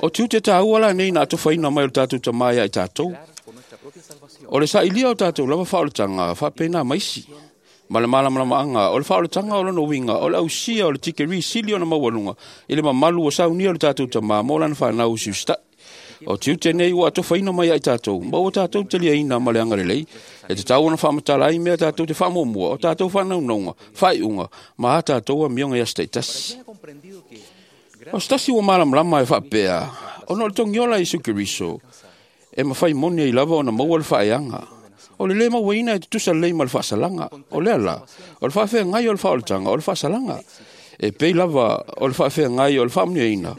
O tiute tāua la nei na atofaina mai o le tatou tamā ia i tatou. O le sailia o tatou lava faaolataga faapena maisi. Ma le malamalamaaga o le faaolataga o lona uiga o le ausia o le tikeri sili ona maualuga i le mamalu ua saunia o le tatou tamā mo lana fanau usiusita'i. O tiute nei ua atofaina mai ai tatou, ma ua tatou taliaina ma le agalelei. E tatau ona faamatala ai mea tatou te faamuamua, o tatou faanaunauga, faaiuga, ma a tatou amioga i aso ta'itasi. O se tasi ua malamalama e faapea, ona o le togiola a Iesu Keriso, e mafai moni ai lava ona maua le faaeaga. O le lē mauaina e tutusa lelei ma le faasalaga. O lea la, o le faafeagai o le faaolataga o le faasalaga. E pei lava o le faafeagai o le faamanuiaina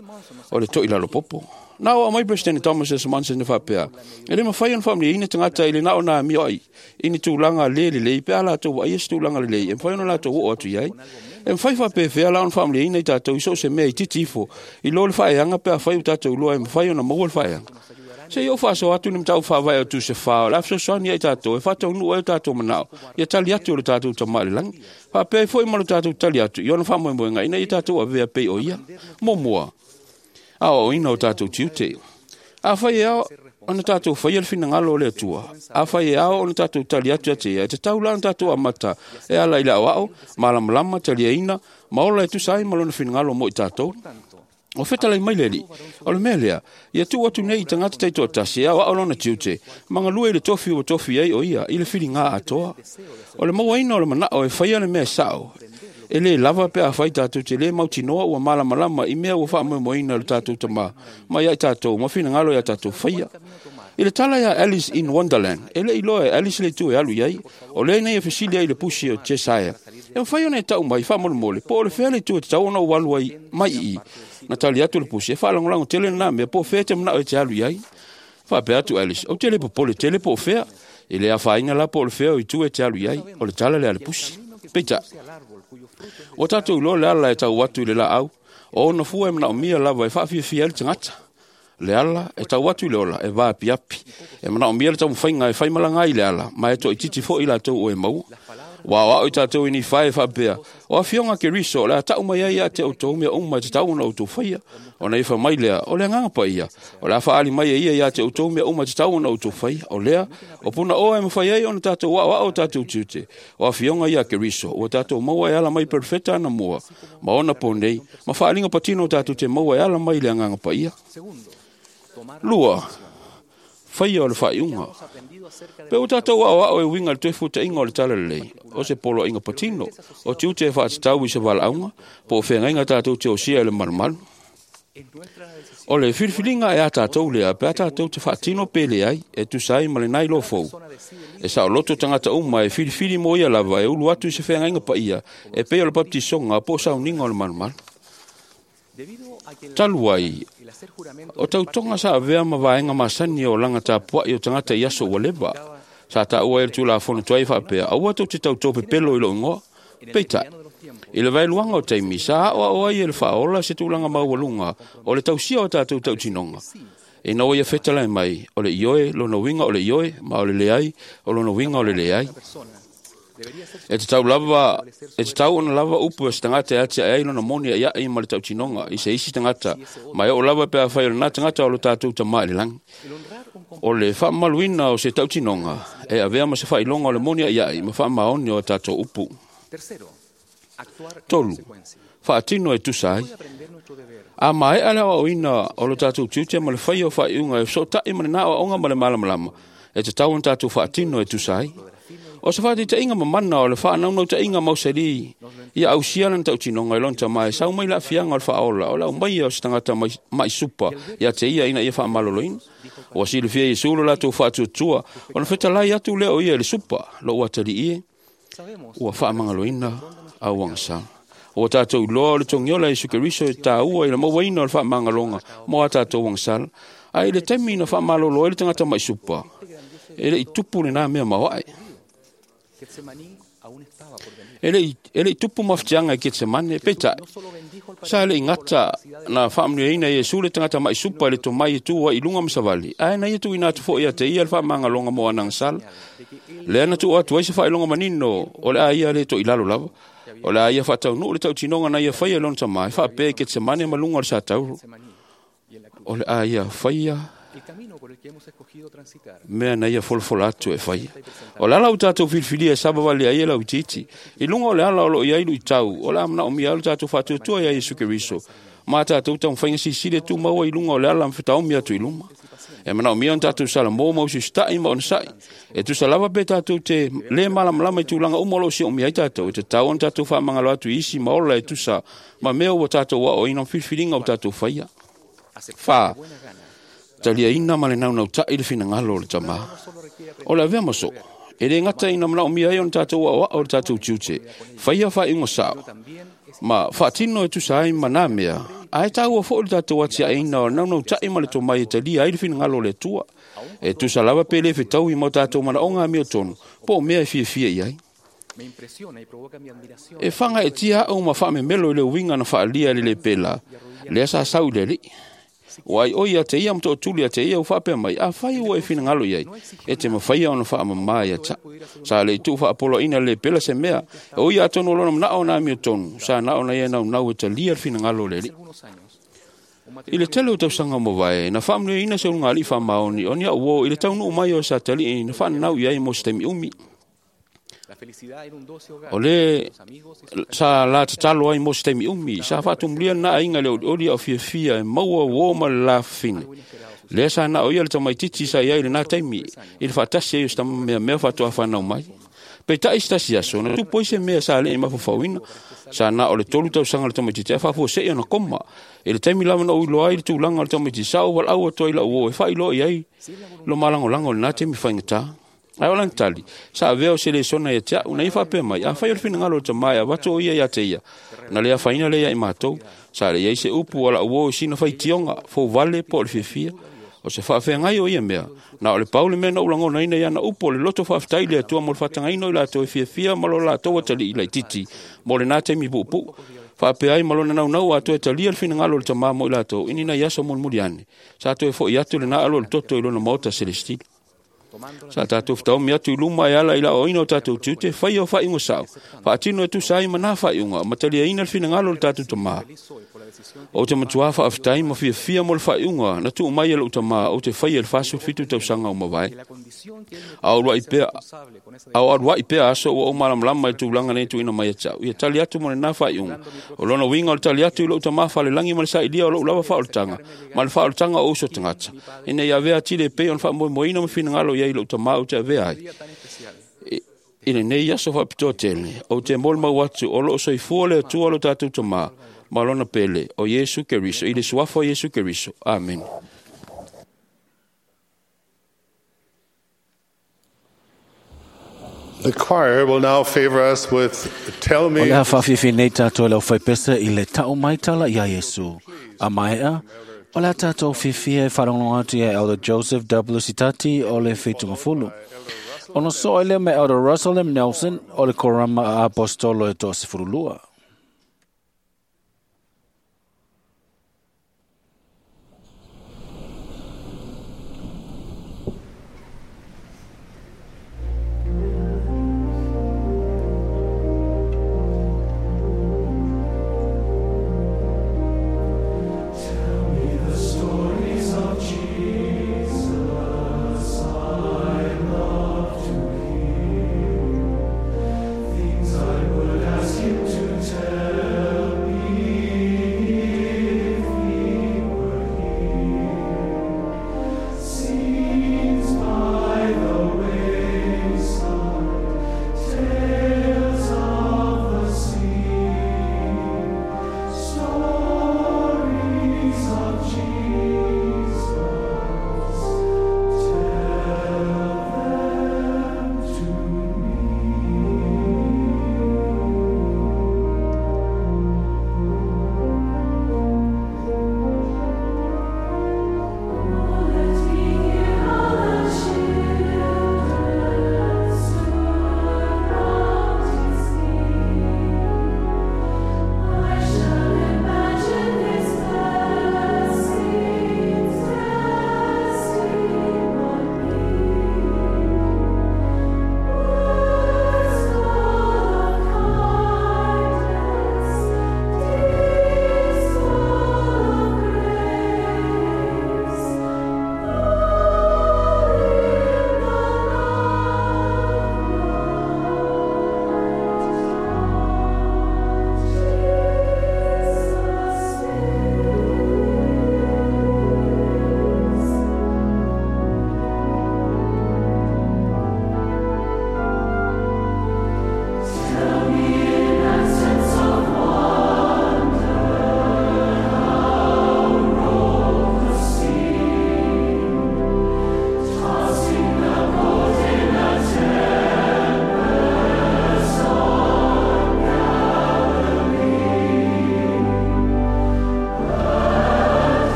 o le to'ilalo popo. Na o mai President Thomas S. Monson e faapea, e le mafai ona faamanuiaina tagata i le na o na amio ai i ni tulaga le lelei pe a latou vaaia se tulaga lelei e mafai ona latou oo atu i ai. E mafai faapefea la ona faamanuiaina i tatou i so o se mea itiiti ifo i lo le faaeaga pe afai ua tatou iloa e mafai ona maua le faaeaga. Se i ou faasoa atu ni mataupu faavae o Tusi 4 o le a fesoasoani ai tatou e faataunuu ai o tatou manao ia tali atu o le tatou Tamā i le lagi. Faapea ai foi ma lo tatou tali atu i ona faamoemoega ina ia tatou avea pei o ia. Muamua, aoaoina o tatou tiute. Afai e ao ona tatou faia le finagalo o le Atua, afai e ao ona tatou tali atu ia te ia, e tatau la ona tatou amata e ala i le aoao, malamalama, taliaina, ma ola e tusa ai ma lona finagalo mo i tatou. O fetalai mai le Alii, o le mea lea, ia tuu atu nei i tagata taitoatasi e aoao lona tiute, ma galue i le tofi ua tofi ai o ia i le filiga atoa. O le mauaina o le manao e faia le mea sao, e lē lava pe afai tatou te lē mautinoa ua malamalama i mea ua faamoemoeina o le tatou tamā mai ai tatou ma finagalo ia tatou faia. I le tala ia Alice in Wonderland, e le iloa e Alice le itu e alu i ai, o lea nei e fesili ai le pusi o Cheshire. E mafai ona e ta'u mai fa'amolemole po o le fea le itu e tatau ona ou alu ai mai i'ī. Na tali atu le pusi, e fa'alagolago tele lenā mea po o fea e te mana'o e te alu i ai. Fa'apea atu Alice, ou te lē popole tele po o fea, e lē afaina la po o le fea o itu e te alu i ai, o le tala lea a le pusi. Peita'i, ua tatou iloa le ala e tau atu i le la'au, o ona fua e manaomia lava e faafiafia ai le tagata. Le ala e tau atu i le ola e vaapiapi. E manaomia le taumafaiga e faimalaga ai le ala, ma e toaitiiti fo'i i latou o e maua. Ua aoa'o i tatou i Nifae e faapea, o afioga a Keriso o le a ta'u mai ai ia te outou mea uma e tatau ona outou faia. Ona ia mai lea, o le agaga paia, o le a fa'aali mai e ia ia te outou mea uma e tatau ona outou faia. O lea, o punaoa e mafai ai ona tatou aoa'o o tatou tiute. O afioga ia a Keriso, ua tatou maua e ala mai perofeta anamua, ma ona po nei, ma fa'aaliga patino o tatou te maua e ala mai le agaga paia. Lua, faia o le fa'aiuga. Pe ua tatou aoa'o e uiga i le toe futa'iga o le tala lelei, o se poloaiga patino, o tiute e fa'atatau i se vala'auga, po o feagaiga tatou te osia i le malumalu. O le filifiliga e a tatou lea pe a tatou te fa'atino pe leai, e tusa ai ma lenā iloa fou. E sa'oloto tagata uma e filifili mo ia lava e ulu atu i se feagaiga paia, e pei o le papatisoga po o sauniga o le malumalu. Talu ai, o tautoga sa avea ma vaega masani o laga tapua'i o tagata i aso ua leva. Sa ta'ua ai le tulafono tuai fa'apea, aua tou te tautō pepelo i lo'u igoa. Peita'i, i le vaeluaga o taimi, sa a'oa'o ai e le fa'aola se tulaga maualuga o le tausia o tatou ta'utinoga. Ina ua ia fetalai mai, o le ioe lona uiga o le ioe, ma o le leai o lona uiga o le leai. E tatau lava, e tatau ona lava upu e se tagata e atia'e ai lona moni a'ia'i ma le ta'utinoga i se isi tagata, ma e oo lava pe afai o lenā tagata o lo tatou tamā i le lagi. O le fa'amamaluina o se ta'utinoga e avea ma se fa'ailoga o le moni a'ia'i ma fa'amaoni o a tatou upu. Tolu, fa'atino e tusa ai. A mae'a le aoaoina o lo tatou tiute ma le faia o fa'aiuga e feso'ota'i ma lenā aoaoga ma le malamalama, e tatau ona tatou fa'atino e tusa ai. O se fa'ataita'iga mamana o le fa'anaunauta'iga mausali ia ausia lana ta'utinoga i lona tamā e sau mai le a'afiaga o le fa'aola o le aumaia o se tagata ma'i supa ia te ia ina ia fa'amaloloina. Ua silafia Iesu lo latou fa'atuatua ona fetalai atu lea o ia i le supa, lo'u atali'i e, ua fa'amagaloina au agasala. Ua tatou iloa o le togiola Iesu Keriso e tāua i le mauaina o le fa'amagaloga mo a tatou agasala. Ae i le taimi na fa'amalolo ai le tagata ma'i supa, e le'i tupu lenā mea maoa'e. E le'i tupu mafatiaga i Ketsemane, peita'i, sa le'i gata na fa'amanuiaina e Iesu le tagata ma'i supa i le tomai e tū ai i luga ma savali, ae na ia tu'uina atu fo'i ia te ia le fa'amagaloga mo ana agasala. Lea na tu'u atu ai se fa'ailoga manino o le a ia lē to'ilalo lava. O le a ia fa'ataunu'u le ta'utinoga na ia faia i lona tamā e fa'apea i Ketsemane ma luga o le satauro. O le a ia faia mea na ia folafola atu e faia. O le ala ua tatou filifilia e savavali ai e lauitiiti. I luga o le ala o lo'o i ai lu'itau, o le a mana'omia ai lo tatou fa'atuatua iā Iesu Keriso, ma a tatou taumafaiga silisili e tumau ai i luga o le ala ma fetaomi atu i luma. E manaomia ona tatou salamō ma usiusita'i ma onosa'i. E tusa lava pe tatou te lē malamalama i tulaga uma o lo'o si'omia ai tatou, e tatau ona tatou fa'amagalo atu i isi ma ola e tusa ma mea ua tatou a'o'oina ma filifiliga ua tatou faia. 4. Taliaina ma le naunauta'i le finagalo o le tamā. O le avea ma so'o, e lē gata ina manaomia ai ona tatou a'oa'o le tatou tiute, faia fa'aiuga sa'o, ma fa'atino e tusa ai ma nā mea, ae tāua fo'i le tatou atia'eina o le naunauta'i ma le tomai e talia ai le finagalo o le Atua. E tusa lava pe lē fetaui ma o tatou mana'oga amiotonu, po o mea e fiafia i ai. E faga'etia a'u ma fa'amemelo i le uiga na fa'alia e le lē pela, lea sa sau i le ali'i. Ua ai'oi ia te ia ma to'atuli ia te ia ua fa'apea mai, afai ua e finagalo i ai, e te mafaia ona fa'amamā ia ta'u. Sa le'i tu'u fa'apoloa'ina le pela se mea, e ui atonu o lona mana'o na amiotonu, sa na'o na ia naunau e talia le finagalo o le ali'i. I le tele o tausaga mavae, na fa'amanuiaina se ulugalii fa'amaoni o ni a'u uō i le taunu'u mai o sa tali'i na fa'ananau i ai mo se taimi umi. O le sa la tatalo ai mo se taimi umi, sa fa'atumulia lenā aiga i le olioli a'o fiafia e maua uō ma le la fafine. Lea sa na'o ia le tamaititi sa i ai i lenā taimi, i le fa'atasi ai o se tamameamea fa'atoa fanau mai. Peita'i se tasi aso, na tupu ai se mea sa le'i mafafauina. Sa na o le 3 tausaga le tamaititi ae fa'afuase'i ona koma. I le taimi lava na ou iloa ai le tulaga o le tamaititi, sa ou vala'au atu ai la'u uō e fa'ailoa i ai lo malagolago i lenā taimi faigatā. Ae o lana tali, sa avea o se lesona ia te a'u, na ia faapea mai, afai o le finagalo o le tamā e avatu o ia iā te ia, na le afaina lea ia i matou, sa le iai se upu o la'u uō i sina faitioga, fouvale po o le fiafia. O se faafeagai o ia mea, na o le pau le mea na ou lagonaina i ana upu o le loto faafetai i le Atua mo le faatagaina o i latou e fiafia ma lo latou atalii laitiiti mo lenā taimi puupuu. Faapea ai ma lona naunau atoa e talia le finagalo o le tamā mo i latou i ni nai aso mulimuli ane. Sa toe fo'i atu lenā alo o le toto i lona maota selestila. Sa tatou fetaomi atu i luma e ala i le aoaoina o tatou tiute, faia o faaiuga sa'o, faatino e tusa ai ma nā faaiuga, ma taliaina le finagalo o le tatou tamā. Ou te matuā faafetai ma fiafia mo le faaiuga na tuu mai e lo'u tamā ou te faia i le 47 tausaga ua mavae. A o alua'i pea aso ua ou malamalama i le tulaga nei tuuina mai ia te a'u, ia tali atu mo lenā faaiuga. O lona uiga o le tali atu i lo'u tamā falelagi ma le sailia o lo'u lava faaolataga ma le faaolataga o uso tagata, ina ia avea atili e pei ona faamoemoeina ma finagalo i ai lo'u tamā ou te avea ai. I lenei aso faapitoa tele, ou te molimau atu o loo soifua le Atua lo tatou tamā ma lona pele o Iesu Keriso, i le suafa o Iesu Keriso. Amene. The choir will now favor us with Tell O Me le a faafiafi nei tātou e le aufaipese i le ta'u mai tala iā Iesu. A maea, o le a tātou fiafia e faalogologo atu ia Elder Joseph W. Sitati o le Feitugafulu. Ona so'o ai lea ma Elder Russell M. Nelson o le Korama a Apostolo e 12. The stories of Jesus I love to hear, things I would ask him to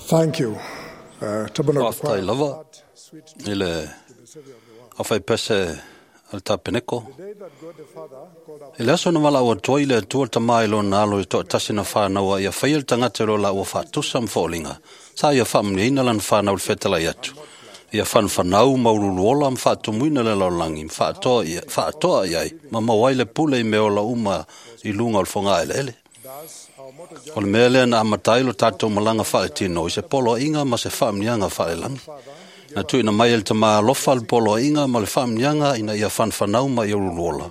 Thank you. Tabernacle Faafetai Choir. lava i le aufaipese a le Tapeneko. I le aso na valaau atu ai le Atua le Tama i lona alo i toatasi na whānaua ia whaia le tangata lo la ua whaatusa mwhaolinga. Sa ia whaamniina lan whānau le whetalai atu. Ia whanwhanau maululuola mwhaatumuina le laulangi mwhaatoa iai ma mawai le pule i meola uma i lunga o le whonga ele ele. O le mea lea na amatai lo tātou malanga whaletino i se polo inga ma se whaamnianga whaelangi. Na tuina mai el tama alofa le polo inga ma le whaamnianga ina ia whanwhanau ma ia ululuola.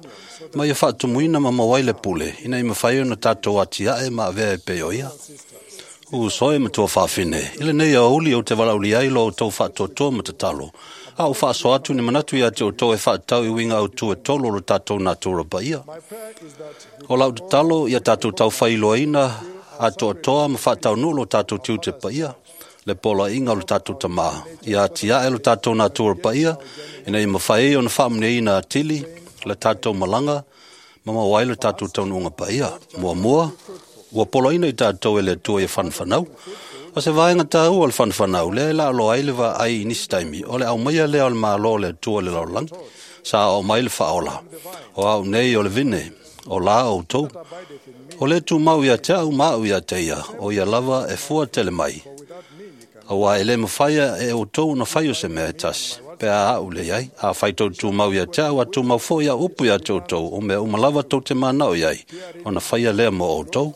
Ma ia whaatumuina ma mawai le pule ina i mawhai na tātou atiae ma avea e peo ia. U soe ma tua whawhine. Ile nei a uli o te walauli ai lo o tau whaatotoa ma te talo. A o whaaso atu ni manatu ia te o tau e whaatau i winga au tu e tolo lo tātou nā tūra pa ia. O lau te talo ia tātou tau whailoaina a toa toa ma whaatau nū lo tātou tiu te pa ia. Le pola inga lo tātou tamā. Ia atia e lo tātou nā tūra pa ia. Ina i mawhai o na whaamne ina atili le tātou malanga. Mama wai lo tātou taununga pa ia. Mua mua. Ua poloina i tātou e le atua ia whanwhanau. O se vaenga tāu o le whanwhanau, lea la alo ai le va ai i nisi taimi, o le au maia lea o le mālo le atua le laulangi, sa o mai le whaola. O au nei o le vine, o la o tau. O le tū mau ia te au mau ia te ia, o ia lava e fua tele mai. Aua e le mawhaia e o tau na whaio se mea e tasi. Pea au le iai, a whai tau tū mau ia te au, a tū mau fo ia upu ia te o tau, o mea umalawa tau te mānao iai, o na whaia lea mo o tau.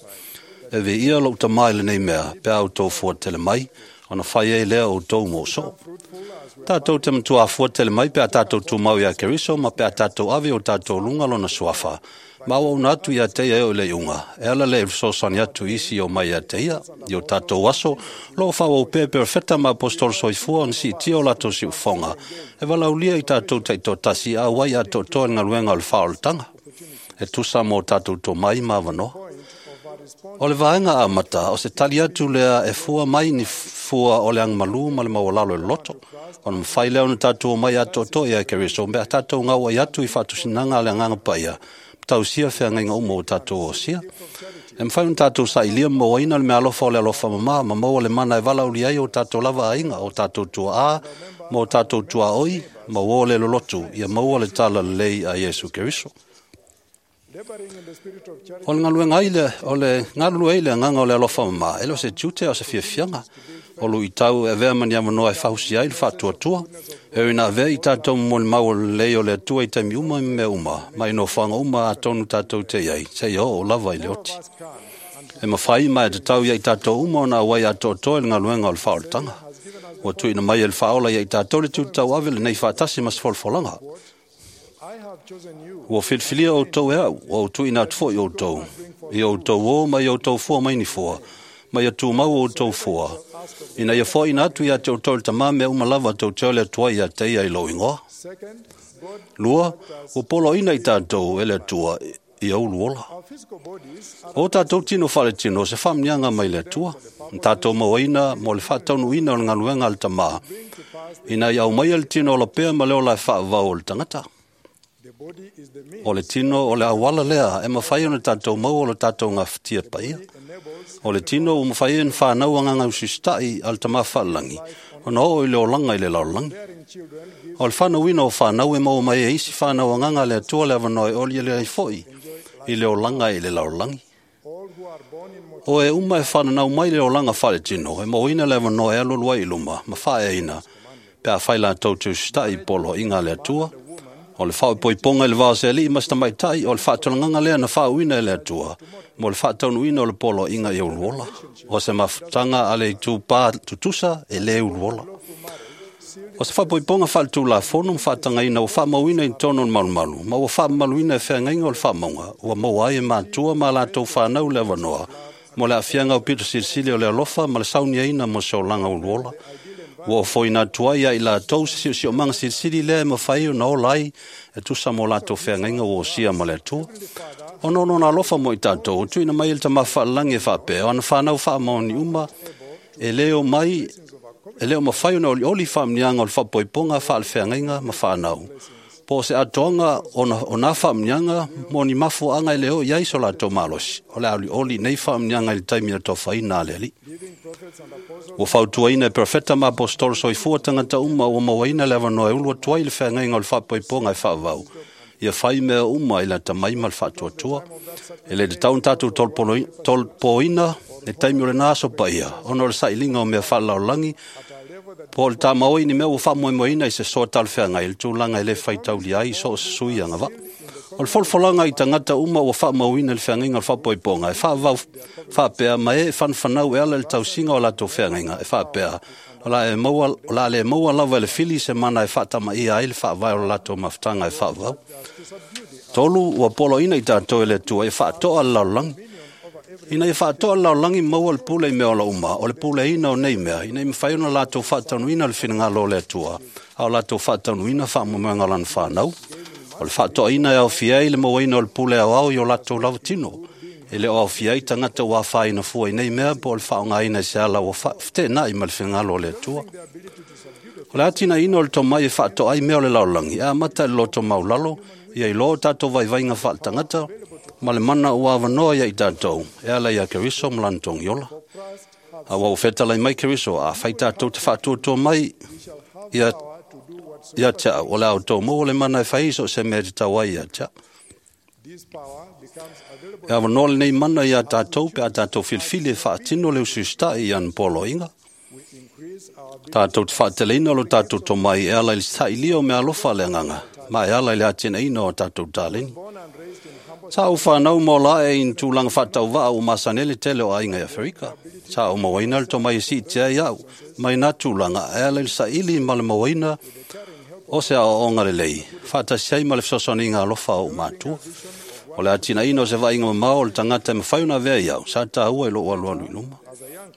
E ve ia lou tamai le nei mea, pe au tau fua tele mai, o na whai e lea o tau mō so. Tātou te matua fua tele mai, pe a tātou tū mau ia Keriso, ma pe a tātou ave o tātou lunga lona suafa. Ma au na atu ia te ia o le iunga. E ala le sosani atu isi o mai ia te ia, i o tātou aso, lo whau o pe perfeta ma apostol soifua on si tio lato si ufonga. E walaulia i tātou te tō tasi a wai a tō tō ngaluenga o le whaoltanga. E tusa mō tātou tō mai mawanoa. O le vaenga a mata, o se tali atu lea e fua mai ni fua o le angmalu ma le mawalalo e loto. O na mwhai leo na tātou mai a tō ia Keriso, mea tātou ngau ai atu i whatusinanga le anganga paia. Tau sia whea ngainga umo o tātou o sia. E mwhai un tātou sa ilia mō aina le mea alofa o le alofa mama, ma maua le mana e vala uli ai o tātou lava ainga, o tātou tua a, ma o tātou tua oi, ma o le lolotu, ia maua le tala lei a Yesu Keriso. O le ngaluenga ai le, o le ngalulu ai le nganga o le alofa mama, e le o se tiute o se fiafianga. O lu i tau e vea mani amanoa e whahusi ai le whaatuatua. E ina vea i tātou mo le mau o le lei o le atua i taimi uma i mea uma. Mai no whanga uma a tonu tātou te iai. Te ia o lava i le oti. E mawhai mai te tau ia i tātou uma o nā wai a tō e le ngaluenga o le whaolatanga. Ua tuina mai e le whaola ia i tātou le tūtau ave le nei whaatasi mas wholwholanga. Ua whiliwhilia o tau e au, o tuina atu foi o tau. I o tau o mai o tau fua mai ni fua. Mai a tū mau o tau fua. Ina ia fua ina atu ia te o tau le tamā mea umalava tau te ole atua ia te ia i lo ingoa. Lua, o polo ina i tātou e le atua i aulu ola. O tātou tino whare tino, se whamnianga mai le atua. Tātou mauaina, mo le whātaunu ina o le ngaluenga le tamā. Ina i au mai le tino o la pea ma leo la e whaavau o le tangata. O le tino o le awala lea, e mawhai o le tātou mau o le tātou ngā whitia paia. O le tino o mawhai e whānau anga ngau sustai al tamā whalangi. O na o i le olanga i le laulangi. O le whanau ina o whanau e mau mai e isi whanau anganga le atua le awanoe o le ai foi i le olanga i le laulangi. O e uma e whanau mai le olanga whare tino, e mau ina le awanoe alolua i luma, ma whae ina, pe a whai la tau te ustai polo inga le atua. O le whao poiponga i le vao se ali mas tamai tai, o le whaatolanganga lea na whaauina e le atua, mo le whaataunuina o le polo inga i uluola. O se mafutanga a le tūpā tutusa e le uluola. O se whapoiponga whaatū la fono mwhaatanga ina o whaamauina i tono o malumalu, ma ua whaamaluina e wheangainga o le whaamaunga, ua maua ai e mātua ma lātou whanau le awanoa, mo le afianga o pito silisili o le alofa ma le saunia ina mo se olanga uluola. Ua o foina atua ia i lātou se sio sio manga silisili lea e mawhai o na o lai e tusa mo lātou wheangainga o osia ma le atua. O nono nā alofa mo i tātou, o tuina mai ele tamā whaalangi e whaapea, o ana whanau whaamaoni uma, e leo mai, e leo mawhai o na oli oli whaamnianga o le whapoiponga, whaalewheangainga ma whanau. Po o se atoaga o nā faamanuiaga mo ni mafuaaga e le oo i ai so latou malosi, o le a olioli nei faamanuiaga i le taimi o le tofaina a le Alii. Ua fautuaina e perofeta ma aposetolo soifua tagata uma ua mauaina le avanoa e ulu atu ai le feagaiga o le faapoipoga e faavavau, ia fai mea uma i le atamai ma le faatuatua. E le tatau ona tatou tolopoina le taimi o lena aso paia, ona o le sailiga o mea faalelalolagi, po o le tamau ai ni mea ua faamoemoeina i se soa talafeagai i le tulaga e le faitaulia ai i so o se sui agavaa. O le folafolaga i tagata uma ua faamauina le feagaiga o le faapoipoga e faavavau faapea ma e fanafanau e ala i le tausiga o latou feagaiga e faapea, o le a le maua lava e le fili se mana e faatamaia ai le faavae o le latou mafutaga e faavavau. 3, ua poloaiina i tatou e le Atua e faatoa le lalolagi. Ina ia faatoa le lalolagi maua le pule i mea ola uma, o le puleaina o nei mea, ina ia mafai ona latou faataunuina le finagalo o le Atua, a o latou faataunuina faamoemoega o lana fanau. O le faatoaina e aofia ai le mauaina o le pule aoao i o latou lava tino. E le o aofia ai tagata ua afaina fua i nei mea po o le faaaogaina i se ala ua feteenai ma le finagalo o le Atua. O le atinaeina o le tomai e faatoa ai mea o le lalolagi e amata i le loto maulalo, ia iloa o tatou vaivaiga faaletagata ma le mana ua avanoa ia i tatou e ala ia Keriso ma lana togiola. A ua fetalai mai Keriso, a fai tatou te faatuatua mai ia te au, o le a outou maua le mana e fai so o se mea e tatau ai ia te au. E avanoa lenei mana ia tatou pe a tatou filifili e faatino le usiusitai i ana poloaiga. Tatou te faateleina lo tatou tomai e ala i le sailia o mea alofa a le agaga, ma e ala i le atinaeina o tatou taleni. Sa ou whanau ma ola e i tūlanga whaatauvaa o masanele tele o aiga i Aferika. Sa ou mauaina le tomai e siitia ai au, mai nā tūlanga e ala i le saili ma le mauaina o se aoaoga lelei, whaatasi ai ma le fesoasoaniga alofa o mātua. O le atinaeina o se vaaiga mamao o le tagata e mafai ona avea i au, sa tāua i lou alualu i luma.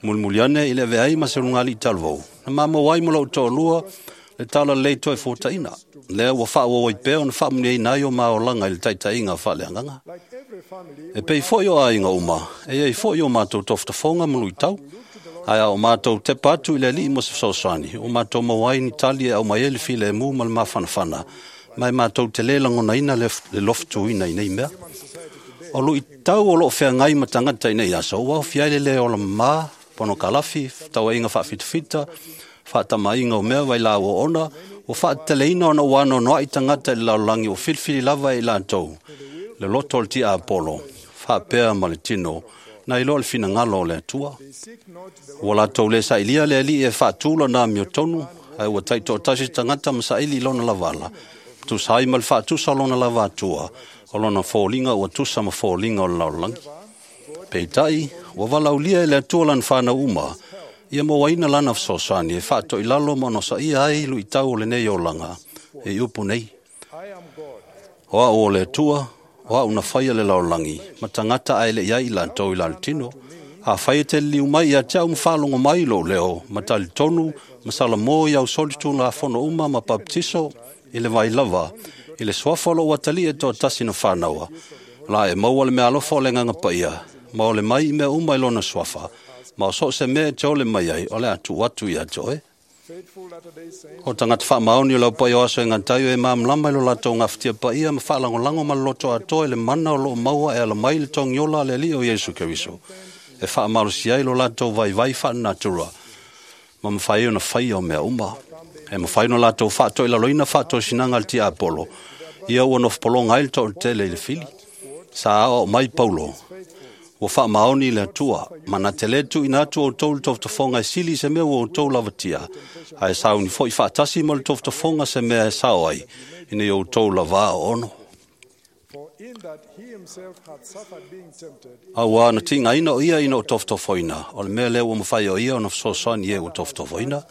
Mulimuli ane i le avea ai ma se lugalii talavou, na mamau ai ma lou toalua le tala lelei toe fuataina. Lea ua faaauau ai pea ona faamuniaina ai o maolaga i le taitaiga faaleagaga. E pei foi o aiga uma, e iai foi o matou tofotofoga ma luitau. Ae a o matou tepa atu i le Alii mo se fesoasoani, o matou maua ai ni tali e aumai ai le filemu ma le mafanafana, ma e matou te lē lagonaina le lofutuina i nei mea. O luitau o loo feagai ma tagata i nei aso, ua aofia ai le lē ola mamā, ponokalafi, tauaiga faafitafita, faatamaiga o mea vailaau oona, ua faateteleina ona ua anoanoai tagata i le lalolagi ua filifili lava e i latou le loto o le tiapolo, faapea ma le tino, na iloa le finagalo o le Atua. Ua latou le sailia le Alii e faatū lona amiotonu, ae ua taitoatasi tagata ma saili i lona lavala, tusa ai ma le faatusa o lona lava atua, o lona foliga ua tusa ma foliga o le lalolagi. Peitai, ua valaulia e le Atua lana whanau uma, ia mauaina lana fesoasoani e faatoilalo ma onosaia ai luitau o lenei olaga e i upu nei. O au o le Atua, o au na faia le lalolagi, ma tagata ae le i ai i latou i lalo tino. A fai e te liliu mai ia te au ma faalogo mai lou leo, ma talitonu, ma salamo i au soli tulafono uma ma baptiso i le vai lava, i le suafa o lou atalii e toatasi na whānaua. La e maua le mea alofa o le agaga paia, ma o le mai i mea uma i lona suafa, ma o so o se mea e te ole mai ai, o le a tuu atu ia te oe. O tagata faamaoni o lau paia o aso e gataio e mamlama i lo latou gafatia paia ma faalagolago ma le loto atoa i le mana o loo maua e ala mai le togiola a le Alii o Iesu Keriso, e faamalosi ai lo latou vaivai faalenatura, ma mafai ai ona faia o mea uma. E mafai ona latou faatoilaloina faatosinaga a le tiapolo, ia ua nofopologa ai le toatele i le fili. Sa aoao mai Paulo, ua faamaoni le Atua, ma na te le tuuina atu outou le tofotofoga e sili i se mea ua outou lavatia, ae sauni foi faatasi ma le tofotofoga se mea e sao ai, ina ia outou lava aoono. Auā na tigaina o ia ina o tofotofoina, o le mea lea ua mafai o ia ona fesoasoani e ua tofotofoina.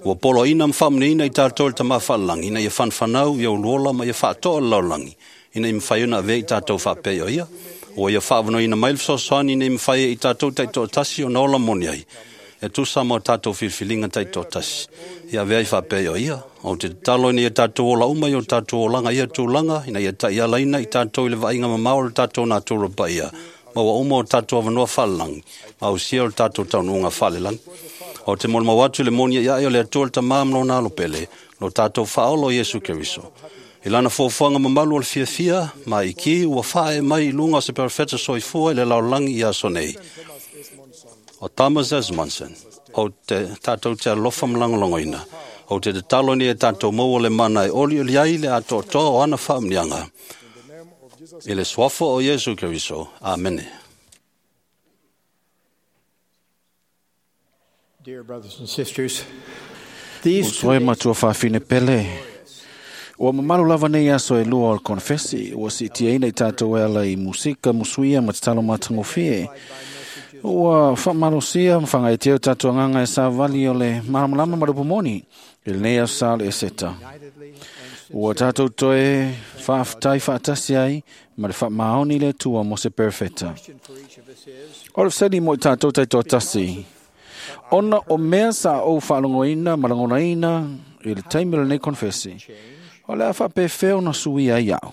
Ua poloaiina ma faamuniaina i tatou le Tama Faalelagi, ina ia fanafanau ia uluola ma ia faatoa le lalolagi, ina ia mafai ona avea i tatou faapea o ia. Ua ia faavanoaina mai le fesoasoani ina ia mafai ai i tatou taitoatasi ona ola moni ai, e tusa ma o tatou filifiliga taitoatasi, ia avea ai faapea o ia. O te tatalo ina ia tatou ola uma i o tatou olaga ia tulaga, ina ia taialaina i tatou i le vaaiga mamao o le tatou natura paia, ma ua uma o tatou avanoa faalelagi, ma ausia o le tatou taunuuga faalelagi. O te molimau atu i le moni ia o le Atua le Tama ma lona alo pele, lo tatou faaolo Iesu Keriso. I lana fuafuaga mamalu o le fiafia ma iki ua faaee mai i luga o se perofeta soifua i le lalolagi i aso nei. O Thomas Esmonson, o te tātou te alofa ma lagolagoina, o te tatalo nei e tātou maua le mana e olioli ai le atoatoa o ana faamuniaga. I le suafa o Iesu Keriso. Amene. Dear brothers and sisters, these Uso e matua faafine pele. Ua mamalu lava nei aso e lua o le konfesi, ua siitiaina i tātou e ala i musika, musuia ma tatalo matagofie. Ua whaamalosia ma whangaetea o tātou anganga e sāvali o le malamalama ma le upumoni, i lenei aso sa o le eseta. Ua tātou toe whaaftai whaatasi ai ma le whaamaoni le tua mo se perfeta. O le fesili mo i tātou taitoatasi, ona o mea sa ou whaalongoina ma langonaina i le taimi o lenei konfesi, o le a whaapewheo na suia ai au.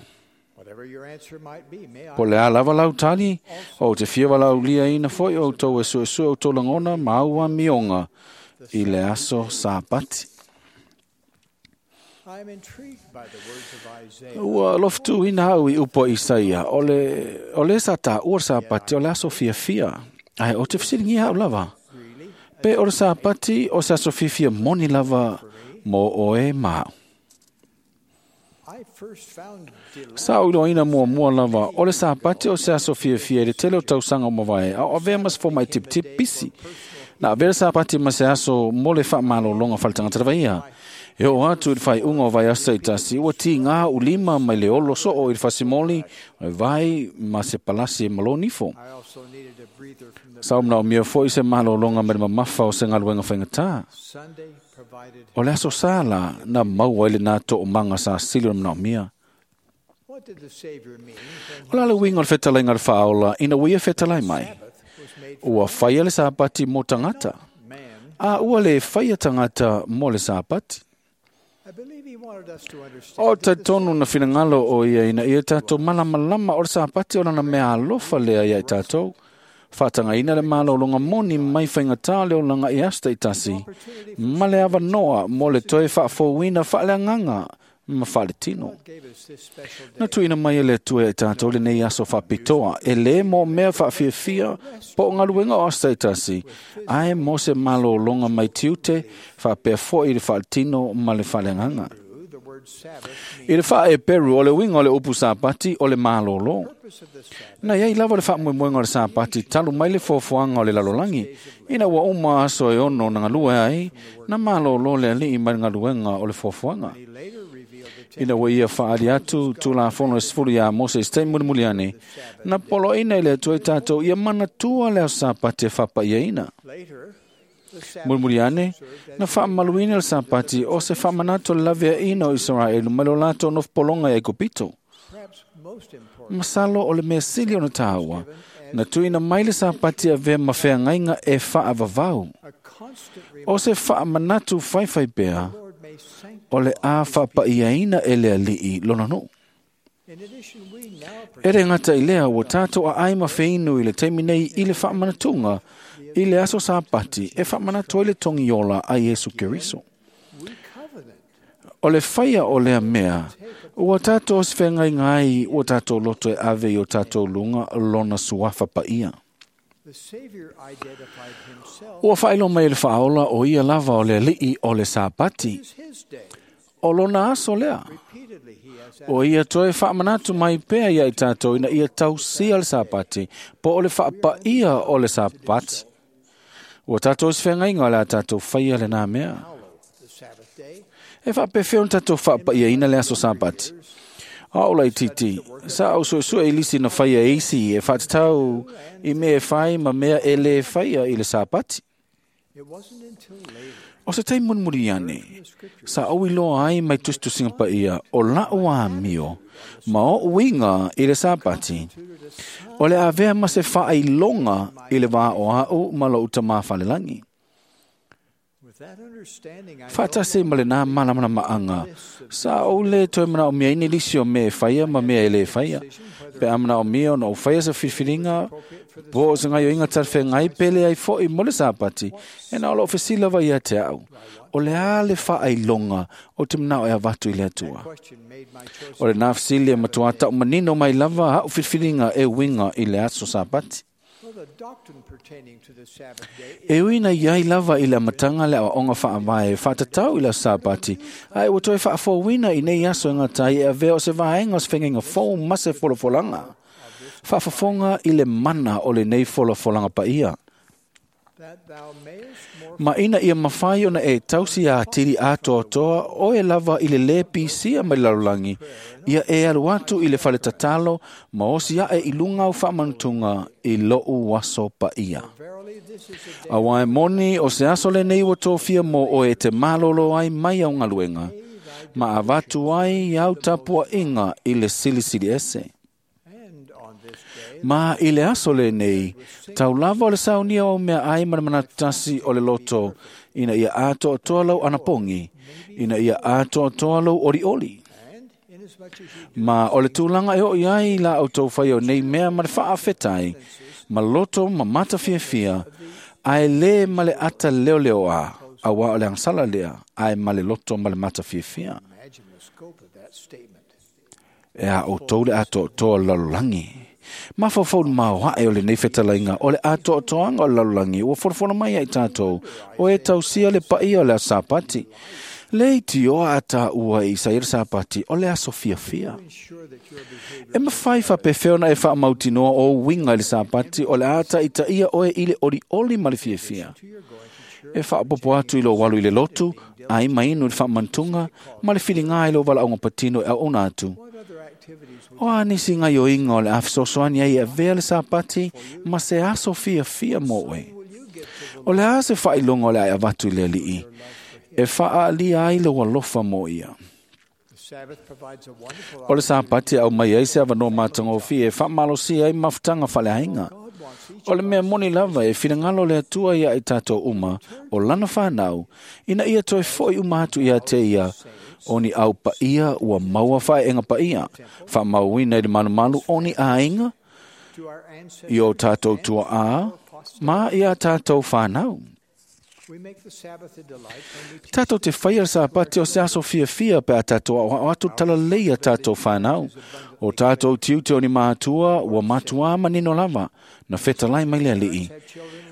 whatever your answer might be, may I Po le a lava lau tali, o te fia walau lia ina foi o tau e suesue o tō langona ma aua mionga i le aso sāpati. I'm intrigued by the words of Isaiah. Ua loftu ina au i upo Isaia, o le sa tā ua sāpati o le aso fiafia. Ai, o te fisilingi au lava. Pe o le sāpati o se aso fiafia moni lava mō oe mā. I first found delight Sa o ina mua mua lava, o le sāpati o se aso fiafia i le tele o tausaga o mavae, a o avea mas fo mai tip tip pisi. Na avea le sāpati ma se aso mo le whaamalolonga whaletangata lava ia. E o atu i le whai unga o vai asa i tasi, ua ti ngā ulima mai le olo soo i le fasimoli, o vai ma se palasi e malonifo. I also needed a breather from the Sa o mnao mia foi se malolonga me le mamafa o se ngaluenga whaingatā. Sunday provided. O le aso sala na maua i le nā tō manga sa sili o mnao mia. What did the Savior mean when O la le winga o le whetalainga le whaola, ina ua ia whetalai mai. Ua whaia le sāpati mō tangata. A ua le whaia tangata mō le sāpati. I believe he wanted us to understand O te tonu na whinangalo o ia ina ia tātou malamalama o le sāpati o lana mea alofa lea ia i tātou. Whātanga ina le malo longa moni mai whaingatā le o langa i asta i tasi. Ma le awa noa mō le toe whaafouina whaaleanganga ma whaale tino. gave us this special Na tuina mai e le tue e tātou le nei aso whapitoa, e le mō mea whaafiafia po o ngaluenga o asta i tasi, ae mō se malo longa mai tiute, whaapea foi i le whaatino ma le whaleanganga. the word Sabbath I le wha e Peru o le winga o le upu sāpati o le malolo. Na iai lava le whaamoemoenga o le sāpati talu mai le foafoaga o le lalolagi. Ina ua uma aso e ono na ngalue ai, na malolo le alii mai le ngaluenga o le foafoaga. Ina ua ia whaali atu tūlafono e sefulu iā Mose i se taimi mulimuli ane, na poloina i le Atua i tātou ia manatua le aso sāpati e whapaiaina. later the Sabbath Mulimuli ane, na whaamaluina le sāpati o se whaamanatu le laveaina o Israelu mai lo latou nofopologa i Aikupito. perhaps most important Masalo o le mea sili ona tāua, na tuina mai le sāpati avea ma feagaiga e faavavau. a constant O se faamanatu faifai pea, Lord may sanctify. o le a faapaiaina e le alii lona nuu. In addition, we now E re ngata i lea ua tātou a ai ma wheinu i le taimi nei i le whaamanatūnga i le aso sāpati e whaamanatu ai le tongi ola a Iesu Keriso. we covenant O le whaia o lea mea, ua tātou se whengai ngai ua tātou loto e ave i o tātou lunga lona suafa paia. The Savior identified himself Ua whailo mai le whaola o ia lava o le alii o le sāpati, as his day. o lona aso lea. Repeatedly he has O ia toe whaamanatu mai pea ia i tātou ina ia tausia le sāpati, po o le whaapaia o le sāpati. Ua tātou se whengainga o le a tātou whaia le nā mea. the Sabbath day. E whaapewheo na tātou whaapaia ina le aso sāpati. A ola i titi, sa au suesue i lisi na whaia e isi e whaatatau i mea e whai ma mea e le whaia i le sāpati. It wasn't until later O se tai munmuri ane, sa au i loa ai mai tusitusinga pa ia o lau amio, ma o uinga i le sāpati. O le avea ma se whaailonga i le vā o au ma lo uta mā whalelangi. with that understanding I Whaatase ma le nā mana maanga. Sa o le toe mana o mea ini lisi o mea e whaia ma mea e le whaia. Pe a mana o mea ona o whaia sa whiwhiringa, Po o se gaioiga talafeagai pe leai fo'i mo le Sapati, e na o lo'u fesili lava ia te a'u, o le a le fa'ailoga o te mana'o e avatu i le Atua? O lenā fesili e matuā ta'umanino mai lava a'u filifiliga e uiga i le aso Sapati. E ui na iai lava i le amataga le aoaoga fa'avae fa'atatau i le aso Sapati, ae ua toe fa'afouina i nei aso e gata ai e avea o se vaega o se fegaiga fou ma se folafolaga. Fa'afofoga i le mana o lenei folafolaga paia. Ma ina ia mafai ona e tausi atili atoatoa oe lava i le lē pisia mai le lalolagi, ia e alu atu i le faletatalo ma osi a'e i luga au fa'amanutuga i lo'u aso paia. Auā e moni o se aso lenei ua tofia mo oe e te malōlō ai mai au galuega, ma avatu ai au tapua'iga i le Silisili Ese. Ma i le aso lenei, tau lava o le saunia o mea ai ma le manatu tasi o le loto, ina ia atoatoa lau anapogi, ina ia atoatoa lou olioli. Ma o le tulaga e oo ai la outou fai o nei mea ma le faafetai, ma loto ma matafiafia, ae lē ma le ata leoleoā, auā o le agasala lea, ae ma le loto ma le matafiafia. E a outou le atoatoa o le lalolagi. Mafaufau le maoaʻe o lenei fetalaiga o le atoatoaga o le lalolagi ua folafola mai ai tatou o e tausia le paia o le aso Sapati. Le itioa a tāua i Isaia le Sapati o le aso fiafia. E mafai faapefea ona e faamautinoa o uiga i le Sapati o le a ta'itaʻia oe i le olioli ma le fiafia. E faapopo atu i lou alu i le lotu, ai ma inu i le faamanutuga, ma le filigā i lou valaauga patino e auauna atu. O a nisi gaioiga o le a fesoasoani ai e avea le Sapati ma se aso fiafia mo oe. O le a se faailoga o le a e avatu i le Alii, e faaalia ai lou alofa mo ia. O le Sapati e aumai ai se avanoa matagofie e faamalosia ai mafutaga faaleaiga. O le mea moni lava e finagalo le Atua ia i tatou uma, o lana fanau, ina ia toe fo'i uma atu ia te ia, o ni au paia ua maua fa'ae'ega paia, fa'amauina i le malumalu o ni aiga, i o tatou tuaʻā, ma ia tatou fanau. Tatou te faia le Sapati o se aso fiafia pe a tatou aʻoaʻo atu talalelei a tatou fanau. O tatou tiute o ni matua ua matuā manino lava, na fetalai mai le Alii.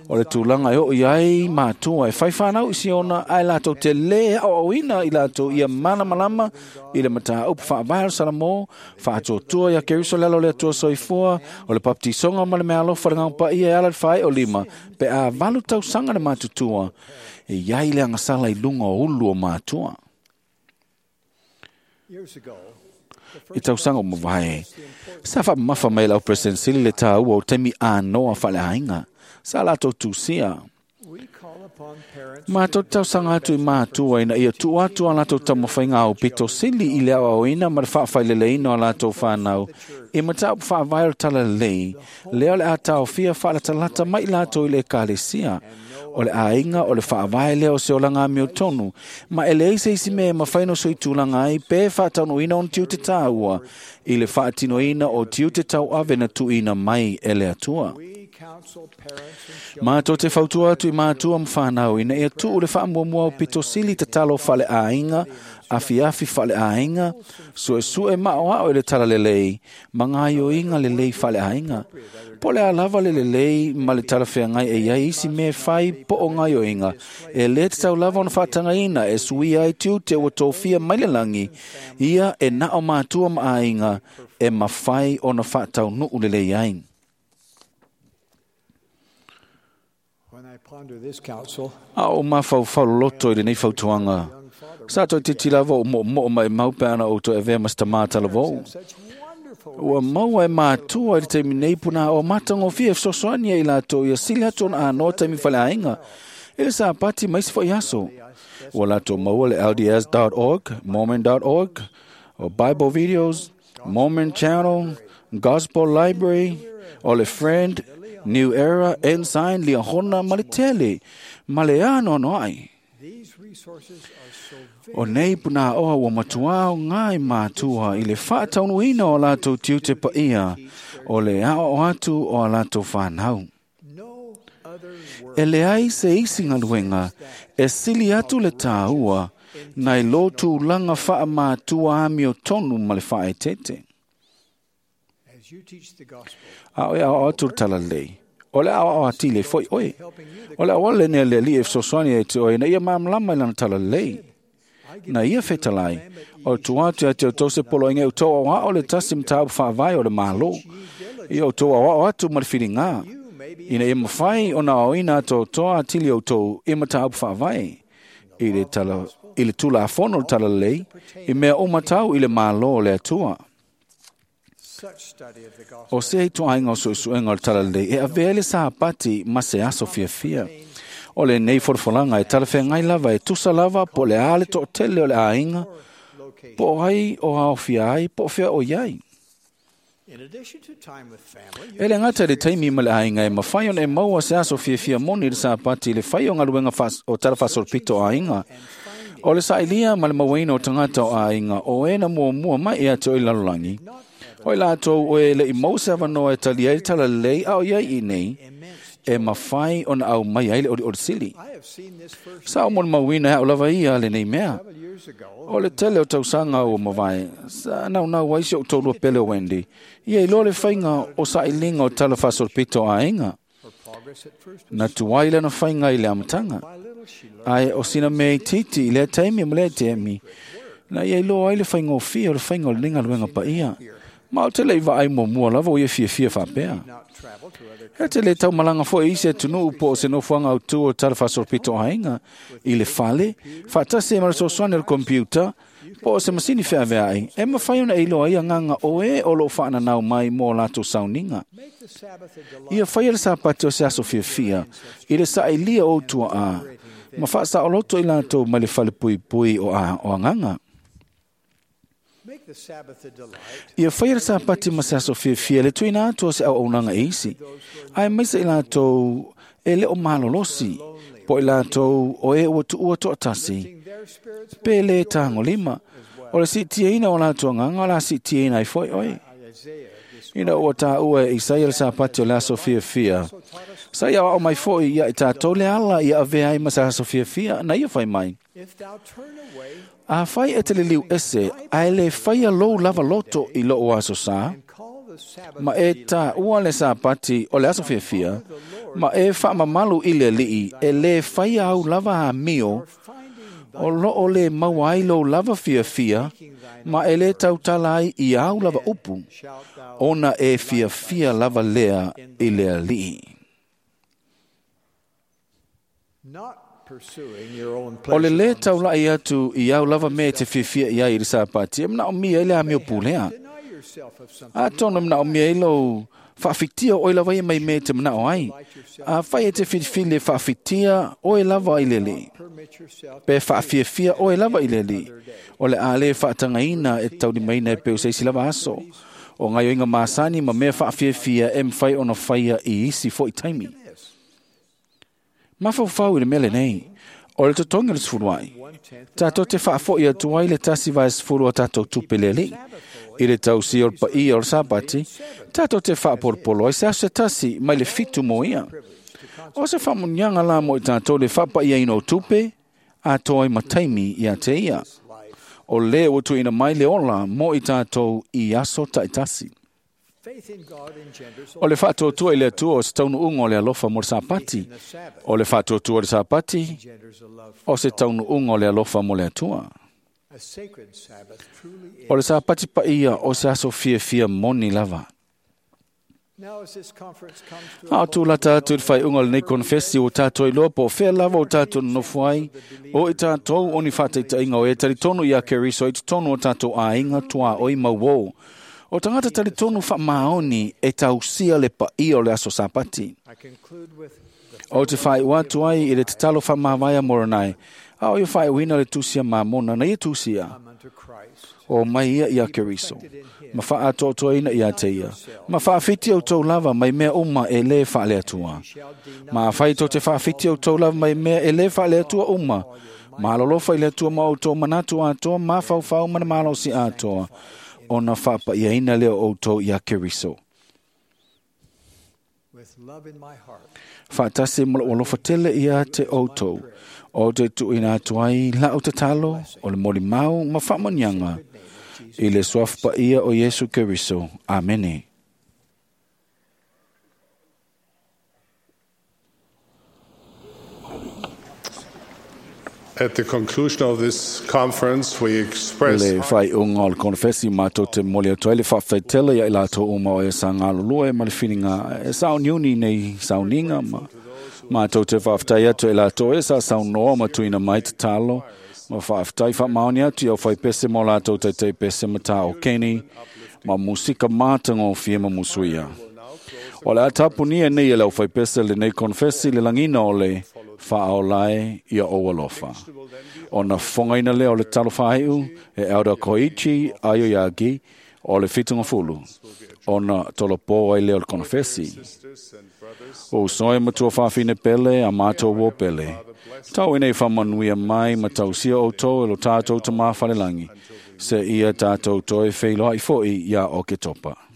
O le tulaga e oo i ai matua e fai fanau i Siona, ae latou te lē aoaoina i latou ia malamalama i le mataupu faavae o le Salamo, faatuatua ia Keriso le alo o le Atua soifua, o le papatisoga ma le meaalofa le gaupaia e ala le faaeo lima, pe a 8 tausaga le matutua, e iai le agasala i luga o ulu o matua. I tausaga o mavae, sa faamamafa mai lau President Sili le tāua o taimi anoa faaleaiga, sa latou tusia. Matou tausaga atu i matua ina ia tuu atu a latou taumafaiga aupito sili i le aoaoina ma le faafaileleina o a latou fanau i mataupu faavae o le talalelei, lea o le a taofia faalatalata mai i latou i le ekalesia. O le aiga o le faavae lea o se olaga amiotonu, ma e leai se isi mea e mafai ona soitulaga ai pe faataunuuina ona tiute tāua i le faatinoina o tiute tauave na tuuina mai e le Atua. Matou te fautua atu i matua ma fanau ina ia tuu le faamuamua o pito sili tatalo faaleaiga, afiafi faaleaiga, suesue maoao i le talalelei, ma gaioiga lelei faaleaiga. Po o le a lava le lelei ma le talafeagai e iai isi mea e fai po o gaioiga, e lē tatau lava ona faatagaina e suia ai tiute ua tofia mai le lagi, ia e na o matua ma aiga e mafai ona faataunuu lelei ai. A o mafaufau loloto i lenei fautuaga, sa toe titi lava o moomoo maʻimau pe ana ou toe avea ma se tamā talavou. Ua maua e matua i le taimi nei puna o matagofie e fesoasoani ai i latou ia sili atu ona anoa taimi faleaiga i le Sapati ma isi fo'i aso. Ua latou maua le LDS.org, Mormon.org, o Bible Videos, Mormon Channel, Gospel Library, o le Friend, New Era, Ensign, Liahona ma le tele, ma le anoanoaʻi. O nei punāoa ua matuā o ngā i mātua i le faataunuuina o latou tiute paia O le aoao atu o a latou fanau. E leai se isi galuega e sili atu le tāua nai lo tulaga faamatua amiotonu ma le faaeteete. A o e aoao atu le talalelei, o le aoao atili ai foi oe. O le auala lenei a le Alii e fesoasoani ai te oe ina ia malamalama i lana talalelei. Na ia fetalai, o le tua atu ia te outou se poloaiga e outou aoao le tasi mataupu faavae o le Malo. Ia outou aoao atu ma le filiga, ina ia mafai ona aoaoina atoatoa atili outou i mataupu faavae i le tala i le Tulafono o le Talalelei i mea uma tau i le Malo o le Atua. O se ituaiga o suesuega o le Talalelei e avea ai le Sapati ma se aso fiafia. O lenei folafolaga e talafeagai lava e tusa lava po o le a le toatele o le aiga, po o ai o aofia ai, po o fea o i ai. E le gata i le taimi ma le aiga e mafai ona e maua se aso fiafia moni i le Sapati i le fai o galuega o tala faasolopito o aiga. O le sailia ma le mauaina o tagata o aiga o e na muamua mai ia te oe i le lalolagi, o i latou o e le'i maua se avanoa e talia ai le talalelei a o i ai i nei, e mafai ona aumai ai le olioli sili. Sa ou molimauina e a'u lava ia lenei mea. O le tele o tausaga ua mavae, sa naunau ai si o'u toalua pele o Wendy, ia iloa le faiga o sailiga o tala faasolopito o aiga. Na tuai lana faiga i le amataga, ae o sina mea itiiti i lea taimi ma lea taimi, na ia iloa ai le faigofie o le faiga o lenei galuega paia. Ma ou te le i vaai muamua lava o ia fiafia faapea. E te le taumalaga foi i isi atunuu po o se nofoaga autū o tala faasolopito o aiga i le fale, faatasi ai ma le fesoasoani o le computer, po o se masini feaveai, e mafai ona e iloa ai agaga o e o loo faananau mai mo latou sauniga. Ia faia le Sapati o se aso fiafia i le sailia o ou tuaa, ma faasaoloto i latou mai le falepuipui o agaga. Ia faia le Sapati ma se aso fiafia le tuuina atu o se auaunaga e isi, aemaise i latou e le o malolosi, po o i latou o e ua tuua toatasi, pe le tagolima. O le siitiaina o latou agaga o le a siitiaina ai foi oe. Ina ua tāua e Isaia le Sapati o le aso fiafia, sa ia aoao mai foi ia i tatou le ala ia avea ai ma se aso fiafia na ia fai mai. Afai e te liliu ese, ae le faia lou lava loto i lou aso sa, ma e tāua le Sapati o le aso fiafia, ma e faamamalu i le Alii e lē faia au lava amio, o loo le maua ai lou lava fiafia, ma e lē tautala ai i au lava upu, ona e fiafia lava lea i le Alii. O le lē taula'i atu i au lava mea e te fiafia i ai i le Sapati, e manaomia ai le amio pulea. Atonu e manaomia ai lou faafitia oe lava ia mai mea e te manao ai. Afai e te filifili e faafitia oe lava i le Alii, pe faafiafia oe lava i le Alii, o le a lē faatagaina e taulimaina e pei o se isi lava aso. O gaoioiga masani ma mea faafiafia e mafai ona faia i isi foi taimi. Mafaufau i le mea lenei, o le totogi o le sefuluai, tatou te faafo'i atu ai le 1/10 o tatou tupe le Alii. I le tausia o le paia o le Sapati, tatou te faapolopolo ai se aso se tasi mai le 7 mo ia. O se faamuniaga la mo i tatou le faapaiaina o tupe, atoa ai ma taimi ia te ia. O lē ua tuuina mai le ola mo i tatou i aso taitasi. O le faatuatua i le Atua o se taunuuga o le alofa mo le Sapati. O le faatuatua i le Sapati o se taunuuga o le alofa mo le Atua. O le Sapati paia o se aso fiafia moni lava. A o tulata atu i le faaiuga o lenei konefesi ua tatou iloa po o fea lava o tatou nonofo ai, o i tatou o ni faataitaiga o e talitonu ia Keriso i totonu o tatou aiga tuaoi mauō. O tagata talitonu faamaoni e tausia le paia o le aso Sapati. O te faaiu atu ai i le tatalo faamavae a Moronai, a o ia faaiuina le tusi a Mamona na ia tusia. O mai ia ia Keriso, ma faaatoatoaina ia te ia, ma faafiti outou lava mai mea uma e lē faaleatua. Ma afai tou te faafiti outou lava mai mea e lē faaleatua uma, ma alolofa i le Atua ma outou manatu atoa, mafaufau ma le malosi atoa, ona faapaiaina lea o outou ia Keriso. Faatasi ma lou alofa tele ia te outou, o te tuuina atu ai la'u tatalo o le molimau ma faamanuiaga i le suafa paia o Iesu Keriso. Amene. At the conclusion of this conference, we express Le faaiuga o le konofesi matou te momoli atu ai le faafetai tele ia i latou uma o e sa galulue ma le filiga e sauniuni nei sauniga ma matou te faafetai atu i latou e sa saunoa ma tuuina mai tatalo ma faafetai faamaoni atu i aufaipese ma o latou taitaipese ma tā o keni ma musika matagofie ma musuia. O le a tapunia nei e le aufaipese lenei konofesi le lagiina o le faaolae ia ou alofa. Ona fofogaina lea o le talo faaiu e Elder Koichi Aoyagi o le Fitugafulu, ona tolopo ai lea o le konofesi. O uso e matua faafine pele a matou uo pele. Tau ina ia faamanuia mai ma tausia outou e lo tatou Tamā Falelagi, seia tatou toe feiloai foi ia Oketopa.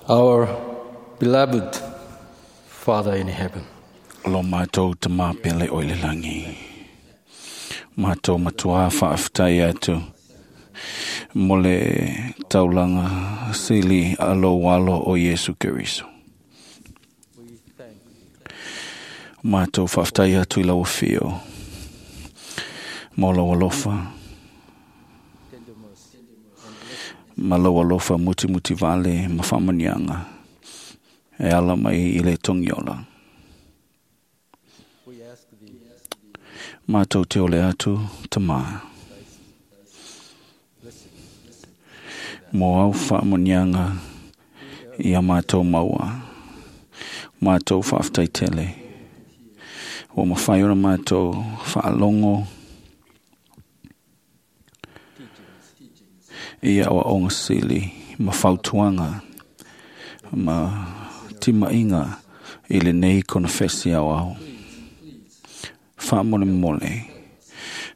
Our beloved Father in heaven, Lo mātou te māpele o i le langi. Mātou matua whaaftai atu. Mo le taulanga sili a lo walo o Yesu Keriso. Mātou whaaftai atu i lau whio. Mo lau alofa. Ma lau alofa muti muti vale ma whamanianga. E ala mai i le tongiola. Mātou te ole atu, te mā. Mō au whaamonianga i a mātou maua. Mātou whaaftai tele. O mawhai ora mātou whaalongo i a onga sili ma whautuanga ma timainga i le nei konofesi au au. Whaamole mole.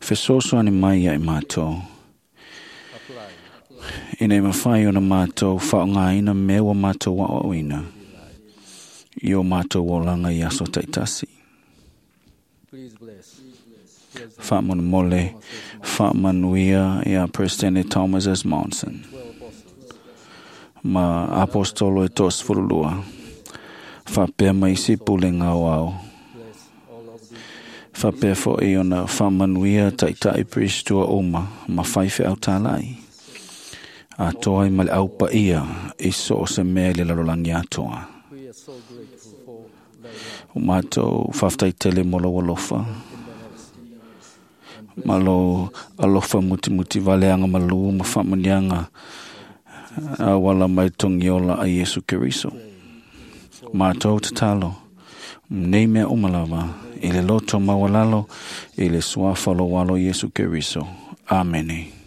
Fesoso ane mai ai mātou. Ina e mawhai ona mātou whaongaina mewa mātou waoina. I o mātou olanga i aso taitasi. please bless Whaamole mole. Whaamanuia i a President Thomas S. Monson. Ma apostolo e tos furulua. Whapea mai si pule ngau au. Whapea fo i ona whamanuia taitai pristua uma ma whaiwhe au tālai. A toa i male au pa ia i so o se mea le lalolangi atoa. We are so grateful for thy love. O mātou whaftai tele mo lau alofa. Ma lo alofa muti muti valeanga malu ma whamanianga a wala mai tongiola a Yesu Keriso. Mātou tatalo, nei mea umalawa, i le loto mawalalo, i le suafa lo walo Yesu Keriso. Amene.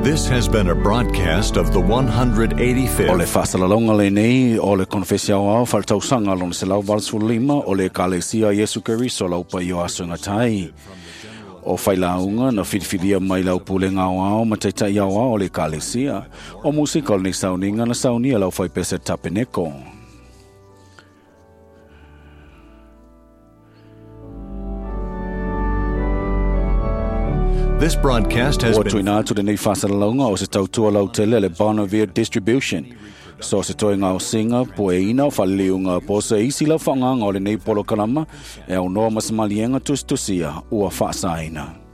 This has been a broadcast of the 185th O le whasalalonga le nei, o le konfesia o au, whaltausanga lona se lau lima, o le kalesia Yesu Keriso lau pa i o aso ngatai. O whailaunga na whiriwhiria mai lau pule ngau ao ma taitai au ao o le kalesia. O musika o le sauninga na saunia lau whaipese tapeneko. This broadcast has Ua been tuina atu le nei whasalalonga o se tautua lau tele le Bonneville Distribution. So se toi ngau singa, po e ina, whaliliunga, po se isi lau whaanganga o le nei polo kalama, e au noa masamalienga tustusia, ua whaasaina.